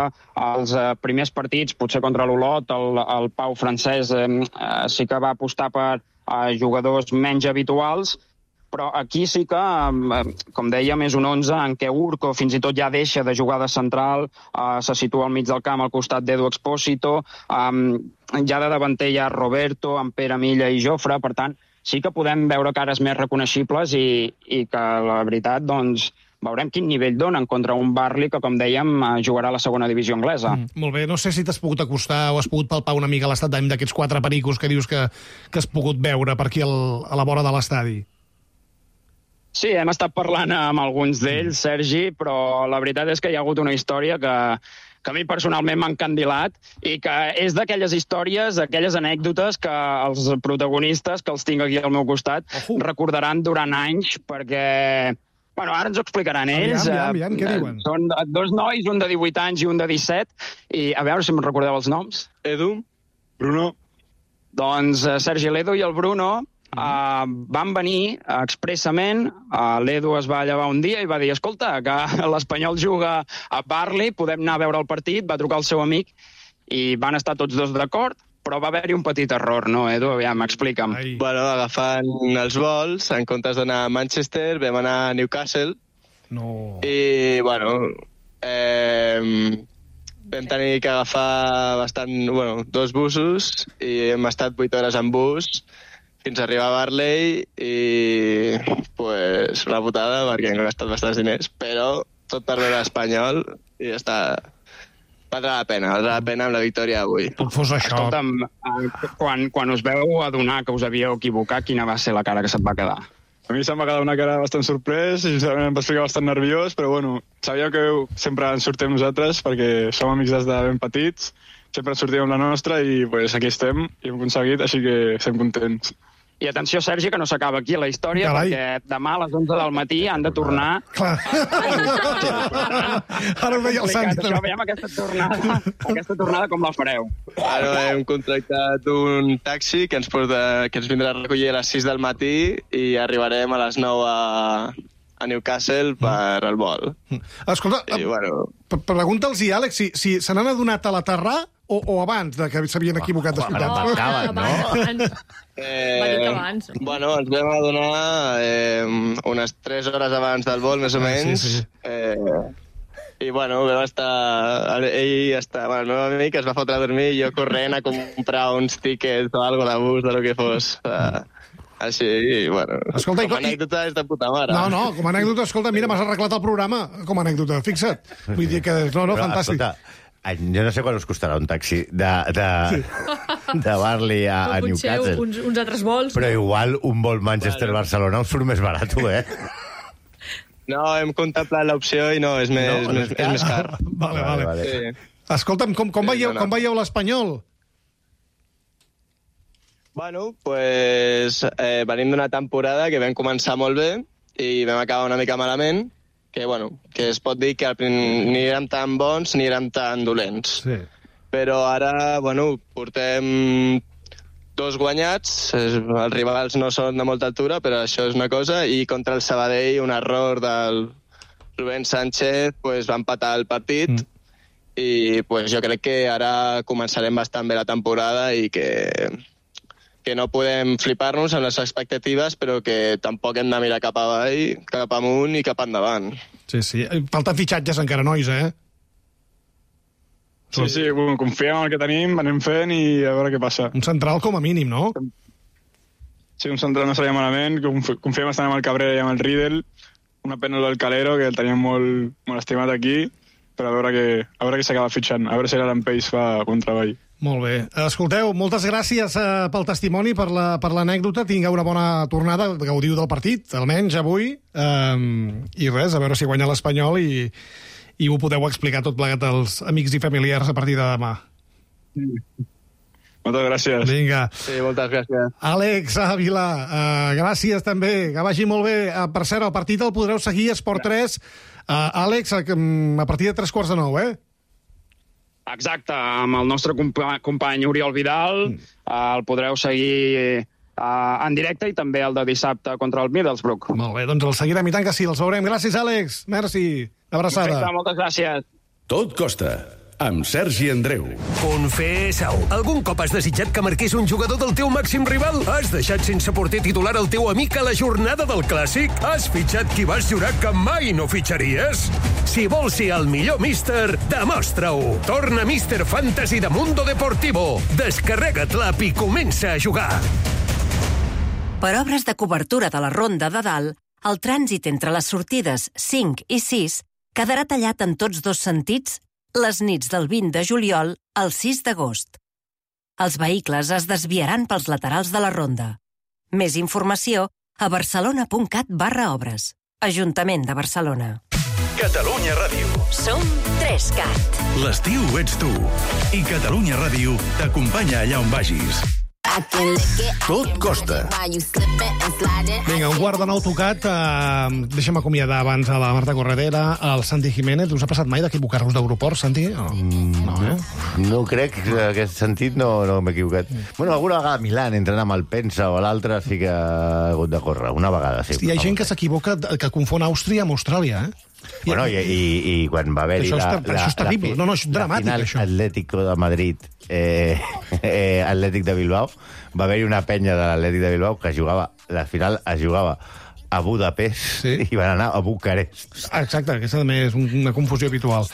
els eh, primers partits, potser contra l'Olot, el, el Pau francès eh, eh, sí que va apostar per eh, jugadors menys habituals, però aquí sí que, com dèiem, és un onze en què Urco fins i tot ja deixa de jugar de central, eh, se situa al mig del camp al costat d'Edu Expósito, eh, ja de davanter hi ha Roberto, en Pere Milla i Jofre, per tant, sí que podem veure cares més reconeixibles i, i que, la veritat, doncs, veurem quin nivell donen contra un Barley que, com dèiem, jugarà a la segona divisió anglesa. Mm, molt bé, no sé si t'has pogut acostar o has pogut palpar una mica l'estat d'ànim d'aquests quatre pericos que dius que, que has pogut veure per aquí al, a la vora de l'estadi. Sí, hem estat parlant amb alguns d'ells, Sergi, però la veritat és que hi ha hagut una història que, que a mi personalment m'ha encandilat i que és d'aquelles històries, d'aquelles anècdotes que els protagonistes, que els tinc aquí al meu costat, uh-huh. recordaran durant anys, perquè... Bueno, ara ens ho explicaran ells. Aviam, aviam, aviam, què diuen? Són dos nois, un de divuit anys i un de disset, i a veure si em recordeu els noms. Edu, Bruno. Doncs Sergi, l'Edu i el Bruno Uh, van venir uh, expressament, uh, l'Edu es va llevar un dia i va dir, escolta, que l'Espanyol juga a Barley, podem anar a veure el partit, va trucar el seu amic i van estar tots dos d'acord, però va haver-hi un petit error, no, Edu? Aviam, explica'm. Ai. Bueno, agafant els vols, en comptes d'anar a Manchester, vam anar a Newcastle. No. I, bueno, eh, vam tenir que agafar bastant, bueno, dos busos i hem estat vuit hores en bus fins a arribar a Barley i, pues, una putada perquè hem gastat bastants diners, però tot per veure l'Espanyol i ja està. Valdrà la pena, valdrà la pena amb la victòria d'avui. Tot fos això. Escolta'm, quan, quan us veu adonar que us havíeu equivocat, quina va ser la cara que se't va quedar? A mi se'm va quedar una cara bastant sorprès i sincerament em vaig ficar bastant nerviós, però bueno, sabíem que sempre ens sortim nosaltres perquè som amics des de ben petits, sempre ens sortim amb la nostra i pues, aquí estem i hem aconseguit, així que estem contents. I atenció, Sergi, que no s'acaba aquí la història, Carai. perquè demà a les onze del matí han de tornar... Clar. Ara ho veia el Santi. Això, veiem aquesta tornada, aquesta tornada com la fareu. Ara hem contractat un taxi que ens, porta, que ens vindrà a recollir a les sis del matí i arribarem a les nou a, a Newcastle per al vol. Escolta, I, bueno... pregunta'ls, Àlex, si, si se n'han adonat a l'aterrar o, o abans de que s'havien equivocat de ciutat. No, acaben, no? Eh, abans. Bueno, ens vam adonar eh, unes tres hores abans del vol, més o menys. Sí, sí. Eh, I, bueno, vam estar... Ell està... Bueno, el meu amic es va fotre a dormir i jo corrent a comprar uns tíquets o alguna de bus, de lo que fos. Uh, així, i, bueno... Escolta, com a anècdota és de puta mare. No, no, com a anècdota, escolta, mira, m'has arreglat el programa com a anècdota, fixa't. Vull dir que, no, no, Però, fantàstic. Escolta, jo no sé quan us costarà un taxi de, de, sí. de Barley a, a Newcastle. Uns, uns altres vols. Però igual un vol Manchester-Barcelona us surt més barat, eh? No, hem contemplat l'opció i no, és més, no, més, és més car. Vale, vale. vale. Sí. Escolta'm, com, com, veieu, no, no. com veieu l'Espanyol? Bueno, pues eh, venim d'una temporada que vam començar molt bé i vam acabar una mica malament, que, bueno, que es pot dir que ni érem tan bons ni érem tan dolents. Sí. Però ara, bueno, portem dos guanyats, els rivals no són de molta altura, però això és una cosa, i contra el Sabadell un error del Rubén Sánchez pues, va empatar el partit, mm. i pues, jo crec que ara començarem bastant bé la temporada i que... que no podem flipar-nos amb les expectatives, però que tampoc hem de mirar cap avall, cap amunt i cap endavant. Sí, sí. Falten fitxatges encara, nois, eh? Sí, sí, bueno, confiem en el que tenim, anem fent i a veure què passa. Un central com a mínim, no? Sí, un central no seria malament, confiem bastant amb el Cabrera i amb el Riedel, una pena del Calero, que el teníem molt, molt estimat aquí, però a veure què, a veure què s'acaba fitxant, a veure si l'Alan Pace fa bon treball. Molt bé. Escolteu, moltes gràcies eh, pel testimoni, per la, per l'anècdota. Tingueu una bona tornada, gaudiu del partit, almenys avui, eh, i res, a veure si guanya l'Espanyol i, i ho podeu explicar tot plegat als amics i familiars a partir de demà. Mm. Moltes gràcies. Vinga. Sí, moltes gràcies. Àlex Ávila, uh, gràcies també, que vagi molt bé. Uh, per cert, el partit el podreu seguir a Esport tres. Uh, Àlex, a, a partir de tres quarts de nou, eh? Exacte, amb el nostre compa company Oriol Vidal, mm. uh, el podreu seguir uh, en directe i també el de dissabte contra el Middlesbrough. Molt bé, doncs el seguirem i tant que sí, els veurem. Gràcies, Àlex. Merci. Abraçada. Perfecte, moltes gràcies. Tot costa, amb Sergi Andreu. Confessa-ho. Algun cop has desitjat que marqués un jugador del teu màxim rival? Has deixat sense porter titular el teu amic a la jornada del Clàssic? Has fitxat qui vas jurar que mai no fitxaries? Si vols ser el millor míster, demostra-ho. Torna Míster Fantasy de Mundo Deportivo. Descarrega't l'app i comença a jugar. Per obres de cobertura de la Ronda de Dalt, el trànsit entre les sortides cinc i sis quedarà tallat en tots dos sentits les nits del vint de juliol al sis d'agost. Els vehicles es desviaran pels laterals de la ronda. Més informació a barcelona.cat barra obres. Ajuntament de Barcelona. Catalunya Ràdio. Som tres cat. L'estiu ets tu. I Catalunya Ràdio t'acompanya allà on vagis. Tot costa. Vinga, un quart de nou tocat. Uh, deixa'm acomiadar abans a la Marta Corredera, al Santi Jiménez. Us ha passat mai d'equivocar-vos d'aeroport, Santi? Oh. Mm, no, eh? no crec que en aquest sentit no, no m'he equivocat. Mm. Bueno, alguna vegada a Milán, entrant amb el Pensa o l'altre, sí que ha hagut de córrer. Una vegada, sí. Hi ha gent que s'equivoca, que confon Àustria amb Austràlia, eh? Bueno, i, i, i quan va haver-hi la, la, això és terrible. la, no, no, és dramàtic, la final això. Atlético de Madrid, eh, eh, Atlètic de Bilbao, va haver-hi una penya de l'Atlètic de Bilbao que jugava, la final es jugava a Budapest, sí, i van anar a Bucarest. Exacte, aquesta també és una confusió habitual.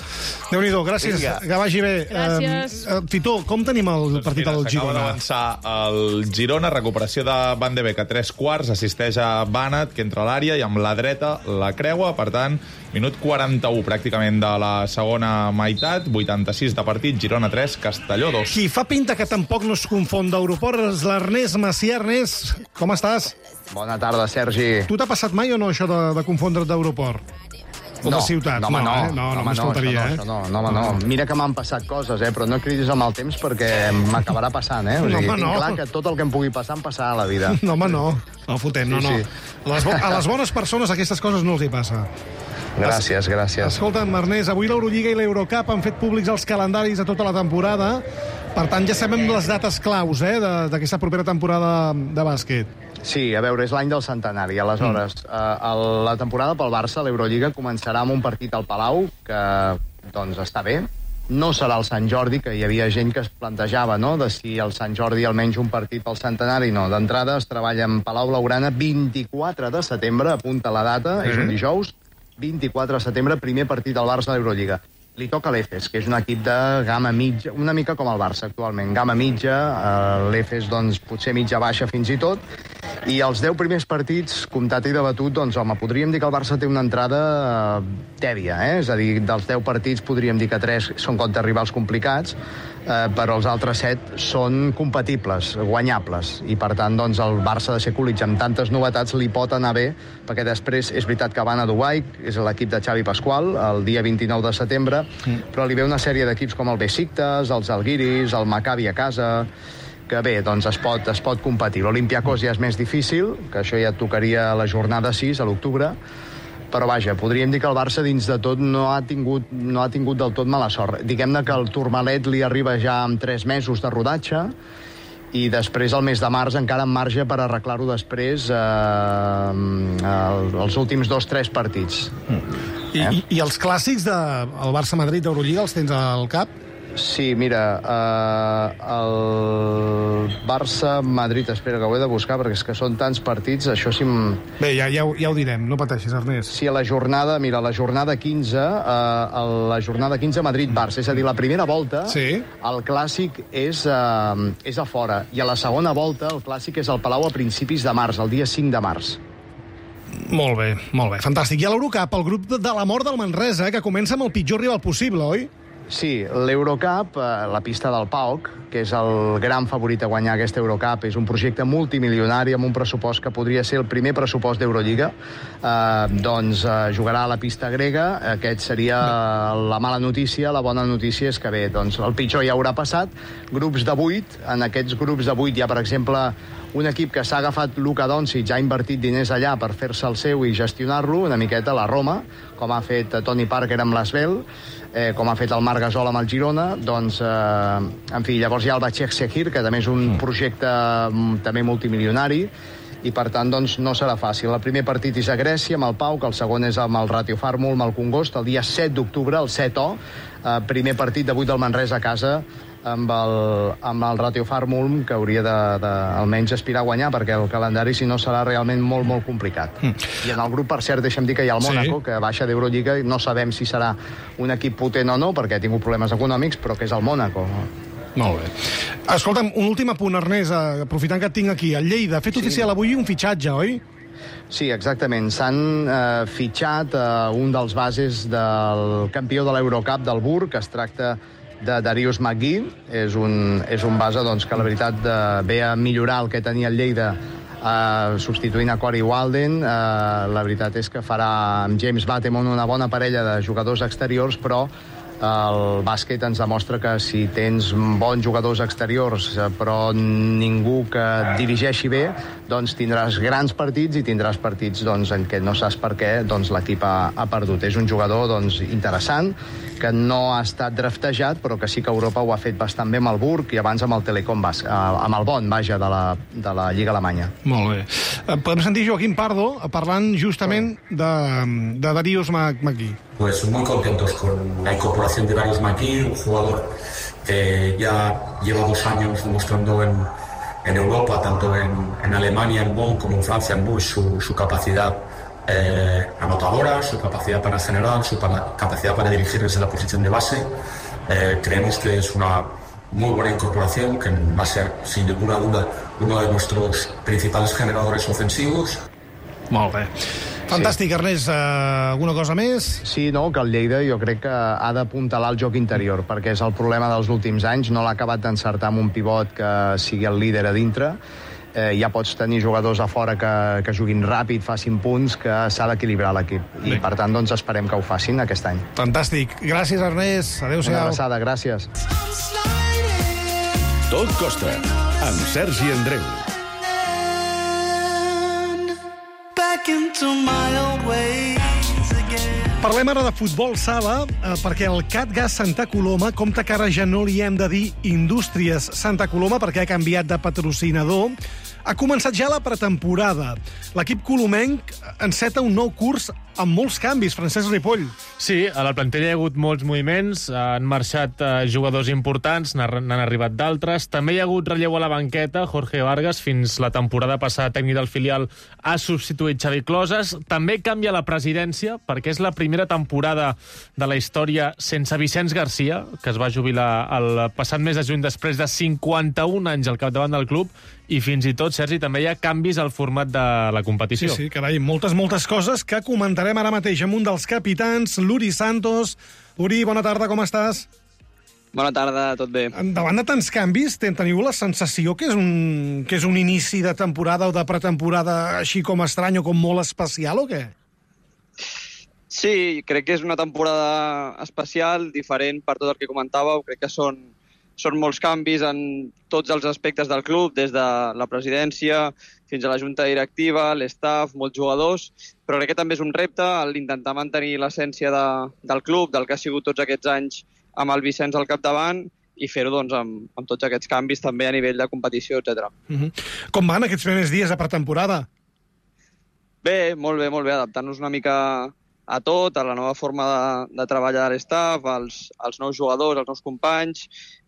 Déu-n'hi-do, gràcies, Vinga. Que vagi bé. Gràcies. Uh, Tito, com tenim el doncs partit mira, del Girona? S'acaba d'avançar el Girona, recuperació de Van de Beek a tres quarts, assisteix a Banat, que entra a l'àrea, i amb la dreta la creua, per tant, minut quaranta-u pràcticament de la segona meitat, vuitanta-sis de partit, Girona tres, Castelló dos. Qui fa pinta que tampoc no es confon d'aeroport és l'Ernest Macià. Ernest, com estàs? Bona tarda, Sergi. Tu t'ha passat mai o no això de, de confondre't d'aeroport? O no, de ciutat? No, home, no. Eh? No, no, no m'escoltaria, no, eh? no, no, no, no. Mira que m'han passat coses, eh? Però no cridis amb el temps perquè m'acabarà passant, eh? O sigui, no, tinc no. clar que tot el que em pugui passar em passarà a la vida. No, home, no. No fotem, no, sí, no. Sí. Les a les bones persones aquestes coses no els hi passa. Gràcies, gràcies. Escolta'm, Ernest, avui l'Eurolliga i l'Eurocup han fet públics els calendaris a tota la temporada. Per tant, ja sabem les dates claus, eh, d'aquesta propera temporada de bàsquet. Sí, a veure, és l'any del centenari. Aleshores, mm. eh, la temporada pel Barça, l'Eurolliga, començarà amb un partit al Palau, que, doncs, està bé. No serà el Sant Jordi, que hi havia gent que es plantejava, no?, de si el Sant Jordi almenys un partit pel centenari. No, d'entrada es treballa en Palau Blaugrana vint-i-quatre de setembre, apunta la data, mm-hmm. és un dijous, vint-i-quatre de setembre, primer partit del Barça a l'Eurolliga. Li toca l'Efes, que és un equip de gamma mitja, una mica com el Barça actualment, gamma mitja, eh, l'Efes doncs potser mitja baixa fins i tot, i els deu primers partits, comptat i debatut, doncs home, podríem dir que el Barça té una entrada eh, tèbia, eh? És a dir, dels deu partits podríem dir que tres són contra rivals complicats, eh, però els altres set són compatibles, guanyables, i per tant doncs el Barça de ser Kulic amb tantes novetats li pot anar bé, perquè després és veritat que van a Dubai, és l'equip de Xavi Pasqual, el dia vint-i-nou de setembre, mm. però li ve una sèrie d'equips com el Besiktas, els Algiris, el Maccabi a casa, que bé, doncs es pot, es pot competir. L'Olympiakos ja és més difícil, que això ja et tocaria a la jornada sis, a l'octubre, però vaja, podríem dir que el Barça dins de tot no ha tingut, no ha tingut del tot mala sort. Diguem-ne que el Tourmalet li arriba ja amb tres mesos de rodatge, i després, el mes de març, encara en marge per arreglar-ho després eh, els últims dos, tres partits. Mm. I, eh? i, I els clàssics del de, Barça-Madrid d'Eurolliga els tens al cap? Sí, mira, eh, el Barça-Madrid, espera, que ho he de buscar, perquè és que són tants partits, això sí... M... Bé, ja, ja, ja ho direm, no pateixis, Ernest. Sí, a la jornada, mira, la jornada quinze, eh, la jornada quinze Madrid-Barça, és a dir, la primera volta, sí. El clàssic és, eh, és a fora, i a la segona volta el clàssic és al Palau a principis de març, el dia cinc de març. Molt bé, molt bé, fantàstic. I a l'Eurocup, el grup de la mort del Manresa, que comença amb el pitjor rival possible, oi? Sí, l'Eurocup, eh, la pista del P A O C, que és el gran favorit a guanyar aquesta Eurocup, és un projecte multimilionari amb un pressupost que podria ser el primer pressupost d'Eurolliga. Eh, doncs eh, jugarà a la pista grega, aquest seria la mala notícia. La bona notícia és que bé, doncs el pitjor ja haurà passat. Grups de vuit, en aquests grups de vuit hi ha, per exemple, un equip que s'ha agafat Luka Doncic, ha invertit diners allà per fer-se el seu i gestionar-lo, una miqueta la Roma, com ha fet Tony Parker amb l'Asvel, eh, com ha fet el Marc Gasol amb el Girona, doncs, eh, en fi, llavors hi ha el Başakşehir, que també és un projecte també multimilionari, i per tant doncs, no serà fàcil. El primer partit és a Grècia, amb el P A O C, el segon és amb el Ratio Farmul, amb el Congost, el dia set d'octubre, el set O, eh, primer partit de vuit del Manresa a casa, amb el, amb el Ratio Farmul, que hauria de, de almenys aspirar a guanyar, perquè el calendari, si no, serà realment molt, molt complicat. Mm. I en el grup, per cert, deixa'm dir que hi ha el Mónaco, sí. Que baixa d'Eurolliga, i no sabem si serà un equip potent o no, perquè ha tingut problemes econòmics, però que és el Mónaco. Molt bé. Escolta'm, un últim apunt, Ernest, aprofitant que et tinc aquí. El Lleida ha fet sí. oficial avui un fitxatge, oi? Sí, exactament. S'han eh, fitxat eh, un dels bases del campió de l'Eurocup del Burg, que es tracta de Darius McGee. És un, és un base doncs, que la veritat de, ve a millorar el que tenia el Lleida eh, substituint a Corey Walden. Eh, la veritat és que farà amb James Batemon una bona parella de jugadors exteriors, però el bàsquet ens demostra que si tens bons jugadors exteriors però ningú que et dirigeixi bé, doncs tindràs grans partits i tindràs partits doncs, en què no saps per què doncs, l'equip ha, ha perdut. És un jugador doncs, interessant, que no ha estat draftejat, però que sí que Europa ho ha fet bastant bé amb el Burg i abans amb el Telecom, amb el Bonn, vaja, de la, de la Lliga Alemanya. Molt bé. Podem sentir Joaquim Pardo parlant justament de, de Darius McGee. Pues muy contentos con la incorporación de Darius McGee, un jugador que ya lleva dos años demostrando en, en Europa, tanto en, en Alemania, en Bonn, como en Francia, en Bush, su, su capacidad eh, anotadora, su capacidad para generar, su para, capacidad para dirigir desde la posición de base. Eh, creemos que es una muy buena incorporación, que va a ser, sin ninguna duda, uno de nuestros principales generadores ofensivos. Molt bé. Fantàstic, sí. Ernest. Uh, alguna cosa més? Sí, no, que el Lleida jo crec que ha d'apuntalar el joc interior, perquè és el problema dels últims anys. No l'ha acabat d'encertar amb un pivot que sigui el líder a dintre. Eh, ja pots tenir jugadors a fora que, que juguin ràpid, facin punts, que s'ha d'equilibrar l'equip. I, Bé. per tant, doncs, esperem que ho facin aquest any. Fantàstic. Gràcies, Ernest. Adéu-siau. Una abraçada, gràcies. Tot costa, amb Sergi Andreu. Parlem ara de futbol sala, eh, perquè el CatGas Santa Coloma compta que ara ja no li hem de dir Indústries Santa Coloma perquè ha canviat de patrocinador. Ha començat ja la pretemporada. L'equip colomenc enceta un nou curs amb molts canvis, Francesc Ripoll. Sí, a la plantilla hi ha hagut molts moviments, han marxat eh, jugadors importants, n'han arribat d'altres. També hi ha hagut relleu a la banqueta, Jorge Vargas, fins la temporada passada tècnic del filial, ha substituït Xavi Closes. També canvia la presidència, perquè és la primera temporada de la història sense Vicenç Garcia, que es va jubilar el passat mes de juny després de cinquanta-un anys al capdavant del club, i fins i tot, Sergi, també hi ha canvis al format de la competició. Sí, sí, carai, moltes, moltes coses que comentarem ara mateix amb un dels capitans, l'Uri Santos. Uri, bona tarda, com estàs? Bona tarda, tot bé. Davant de tants canvis, teniu la sensació que és un, que és un inici de temporada o de pretemporada així com estrany o com molt especial, o què? Sí, crec que és una temporada especial, diferent per tot el que comentàveu. Crec que són Són molts canvis en tots els aspectes del club, des de la presidència fins a la junta directiva, l'estaff, molts jugadors, però crec que també és un repte l'intentar mantenir l'essència de, del club, del que ha sigut tots aquests anys amb el Vicenç al capdavant, i fer-ho doncs, amb, amb tots aquests canvis també a nivell de competició, etcètera. Uh-huh. Com van aquests primers dies de pretemporada? Bé, molt bé, molt bé, adaptant-nos una mica a tot, a la nova forma de, de treballar de l'estaf, als, als nous jugadors, als nous companys,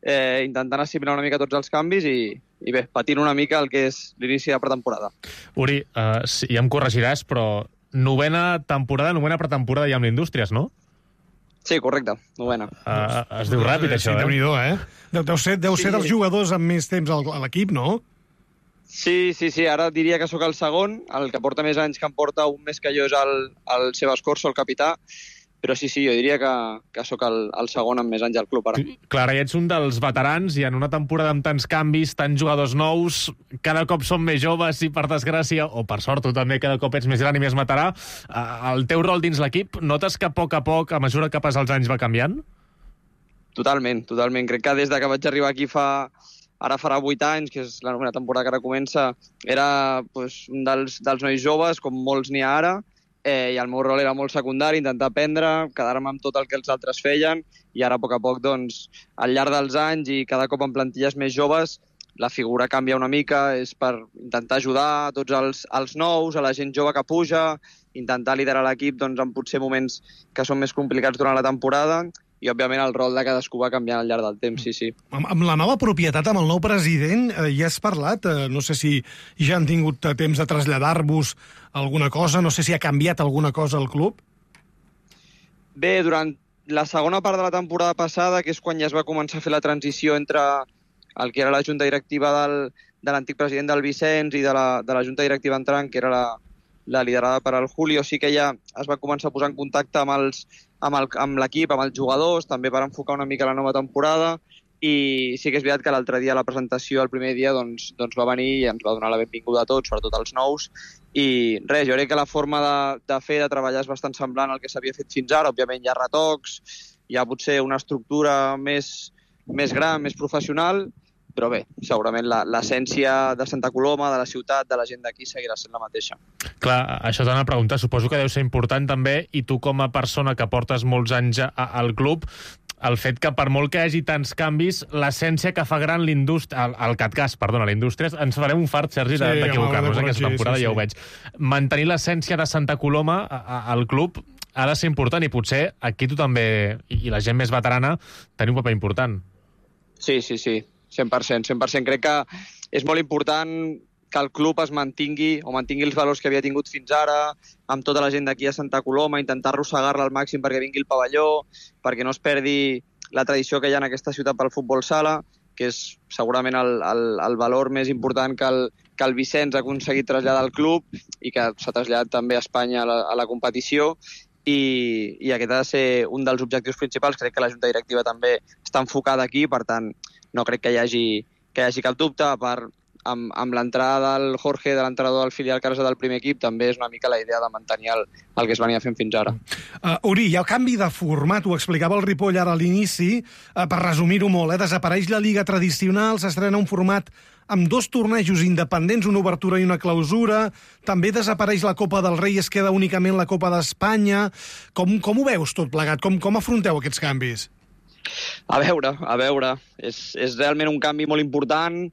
eh, intentant assimilar una mica tots els canvis i, i bé, patint una mica el que és l'inici de pretemporada. Uri, uh, sí, ja em corregiràs, però novena temporada, novena pretemporada ja amb l'Indústries, no? Sí, correcte, novena. Uh, es diu ràpid, això, sí, eh? Déu-n'hi-do, eh? Deu, deu ser, deu Sí. ser dels jugadors amb més temps al- a l'equip, no? Sí, sí, sí, ara diria que sóc el segon, el que porta més anys que em porta un més que jo és el, el Sebas Corso, el capità, però sí, sí, jo diria que, que sóc el, el segon amb més anys al club ara. Clar, ja ets un dels veterans i en una temporada amb tants canvis, tants jugadors nous, cada cop som més joves i per desgràcia, o per sort tu també cada cop ets més gran i més veterà, el teu rol dins l'equip, notes que a poc a poc, a mesura que passen els anys, va canviant? Totalment, totalment. Crec que des de que vaig arribar aquí fa... Ara farà vuit anys, que és la novena temporada que ara comença, era pues, un dels, dels nois joves, com molts n'hi ha ara, eh, i el meu rol era molt secundari, intentar aprendre, quedar-me amb tot el que els altres feien, i ara, a poc a poc, doncs, al llarg dels anys i cada cop en plantilles més joves, la figura canvia una mica, és per intentar ajudar a tots els, els nous, a la gent jove que puja, intentar liderar l'equip doncs, en potser moments que són més complicats durant la temporada, i, òbviament, el rol de cadascú va canviant al llarg del temps, sí, sí. Amb, amb la nova propietat, amb el nou president, eh, ja has parlat? Eh, no sé si ja han tingut eh, temps de traslladar-vos alguna cosa, no sé si ha canviat alguna cosa al club? Bé, durant la segona part de la temporada passada, que és quan ja es va començar a fer la transició entre el que era la junta directiva del, de l'antic president del Vicenç i de la, de la junta directiva entrant, que era la, la liderada per al Julio, sí que ja es va començar a posar en contacte amb els amb el- amb l'equip, amb els jugadors, també per enfocar una mica la nova temporada, i sí que és veritat que l'altre dia a la presentació, el primer dia, doncs, doncs va venir i ens va donar la benvinguda a tots, sobretot als nous, i res, jo crec que la forma de, de fer, de treballar és bastant semblant al que s'havia fet fins ara. Òbviament hi ha retocs, hi ha potser una estructura més, més gran, més professional, però bé, segurament la- l'essència de Santa Coloma, de la ciutat, de la gent d'aquí seguirà sent la mateixa. Clar, això t'anava a preguntar, suposo que deu ser important també, i tu com a persona que portes molts anys a, al club, el fet que per molt que hi hagi tants canvis, l'essència que fa gran l'indústria, el, el CatCas, perdona, l'indústria, ens farem un fart, Sergi, Sí, de- d'equivocar-nos home, aquesta sí, temporada, sí, ja ho sí. veig. Mantenir l'essència de Santa Coloma a- a- al club ha de ser important, i potser aquí tu també, i i la gent més veterana, teniu un paper important. Sí, sí, sí, cent per cent. cent per cent. Crec que és molt important que el club es mantingui o mantingui els valors que havia tingut fins ara, amb tota la gent d'aquí a Santa Coloma, intentar arrossegar-la al màxim perquè vingui el pavelló, perquè no es perdi la tradició que hi ha en aquesta ciutat pel futbol sala, que és segurament el, el, el valor més important que el, que el Vicenç ha aconseguit traslladar al club i que s'ha traslladat també a Espanya a la, a la competició. I, i aquest ha de ser un dels objectius principals. Crec que la Junta Directiva també està enfocada aquí, per tant, no crec que hi hagi, que hi hagi cap dubte. Per, amb, amb l'entrada del Jorge, de l'entrenador del filial que ara és del primer equip, també és una mica la idea de mantenir el, el que es venia fent fins ara. Uh, Uri, hi ha canvi de format, ho explicava el Ripoll ara a l'inici, uh, per resumir-ho molt, eh? Desapareix la Lliga tradicional, s'estrena un format amb dos tornejos independents, una obertura i una clausura, també desapareix la Copa del Rei, es queda únicament la Copa d'Espanya. Com, com ho veus tot plegat? Com, com afronteu aquests canvis? A veure, a veure. És, és realment un canvi molt important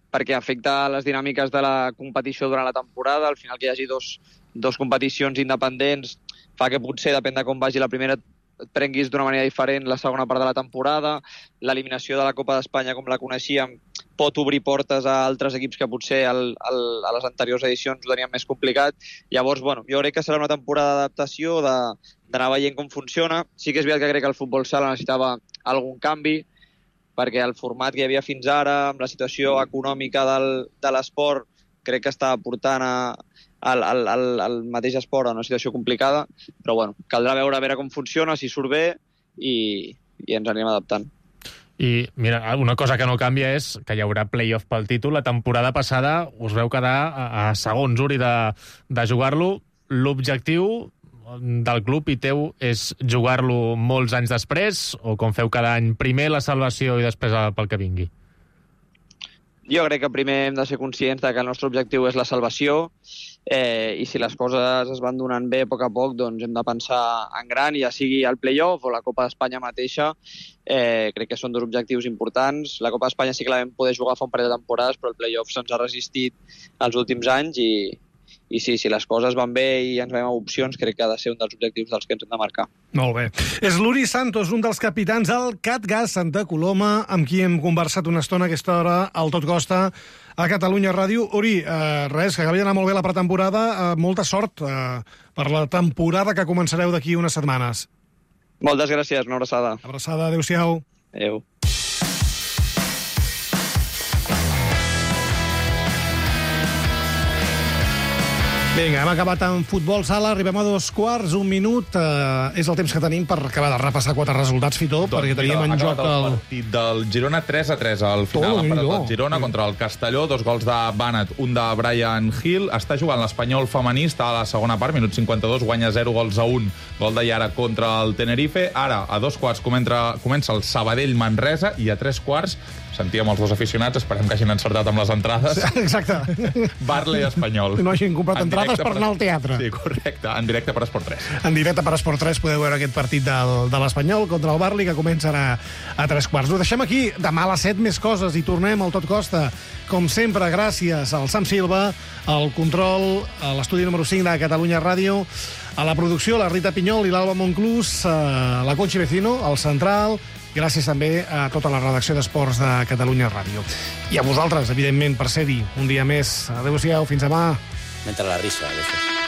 perquè afecta les dinàmiques de la competició durant la temporada. Al final que hi hagi dos, dos competicions independents fa que potser, depèn de com vagi la primera, et prenguis d'una manera diferent la segona part de la temporada. L'eliminació de la Copa d'Espanya, com la coneixíem, pot obrir portes a altres equips que potser al, al, a les anteriors edicions ho tenien més complicat. Llavors, bueno, jo crec que serà una temporada d'adaptació, de, d'anar veient com funciona. Sí que és veritat que crec que el futbol sala necessitava algun canvi, perquè el format que hi havia fins ara, amb la situació econòmica del, de l'esport, crec que està portant a, al, al, al, al mateix esport a una situació complicada, però bueno, caldrà veure a veure com funciona, si surt bé, i, i ens anirem adaptant. I mira, una cosa que no canvia és que hi haurà play-off pel títol. La temporada passada us veu quedar a, a segons, Uri, de, de jugar-lo. L'objectiu del club i teu és jugar-lo molts anys després, o com feu cada any, primer la salvació i després pel que vingui? Jo crec que primer hem de ser conscients de que el nostre objectiu és la salvació, eh, i si les coses es van donant bé a poc a poc, doncs hem de pensar en gran, ja sigui el play-off o la Copa d'Espanya mateixa. Eh, crec que són dos objectius importants. La Copa d'Espanya sí que la vam poder jugar fa un parell de temporades, però el play-off se'ns ha resistit els últims anys i, i sí, si les coses van bé i ens veiem opcions, crec que ha de ser un dels objectius dels que ens hem de marcar. Molt bé. És l'Uri Santos, un dels capitans del CatGas Santa Coloma, amb qui hem conversat una estona a aquesta hora al Tot Costa a Catalunya Ràdio. Uri, eh, res, que acabi d'anar molt bé la pretemporada, eh, molta sort eh, per la temporada que començareu d'aquí unes setmanes. Moltes gràcies, una abraçada. Abraçada, adéu-siau. Adéu. Vinga, hem acabat amb futbol sala, arribem a dos quarts, un minut, eh, és el temps que tenim per acabar de repassar quatre resultats, Fitó, doncs, perquè teníem en joc el... el partit del Girona tres a tres al final, oh, ha parat no. el Girona contra el Castelló, dos gols de Bannat, un de Brian Hill, està jugant l'Espanyol femení, està a la segona part, minut cinquanta-dos, guanya zero gols a un, gol de Yara contra el Tenerife, ara a dos quarts comença, comença el Sabadell-Manresa i a tres quarts sentíem els dos aficionats, esperem que hagin encertat amb les entrades. Exacte. Barley Espanyol. No hagin comprat En entrades per per... anar al teatre. Sí, correcte, en directe per Esport tres. En directe per Esport tres podeu veure aquest partit del, de l'Espanyol contra el Barley, que comença a, a tres quarts. Ho deixem aquí, demà a les set més coses i tornem al Tot Costa. Com sempre, gràcies al Sam Silva, al control, a l'estudi número cinc de Catalunya Ràdio, a la producció, la Rita Pinyol i l'Alba Monclús, a la Conchi Vecino, al Central. Gràcies també a tota la redacció d'Esports de Catalunya Ràdio. I a vosaltres, evidentment, per ser-hi un dia més. Adéu-siau, fins demà. Mentre la risa, a veces.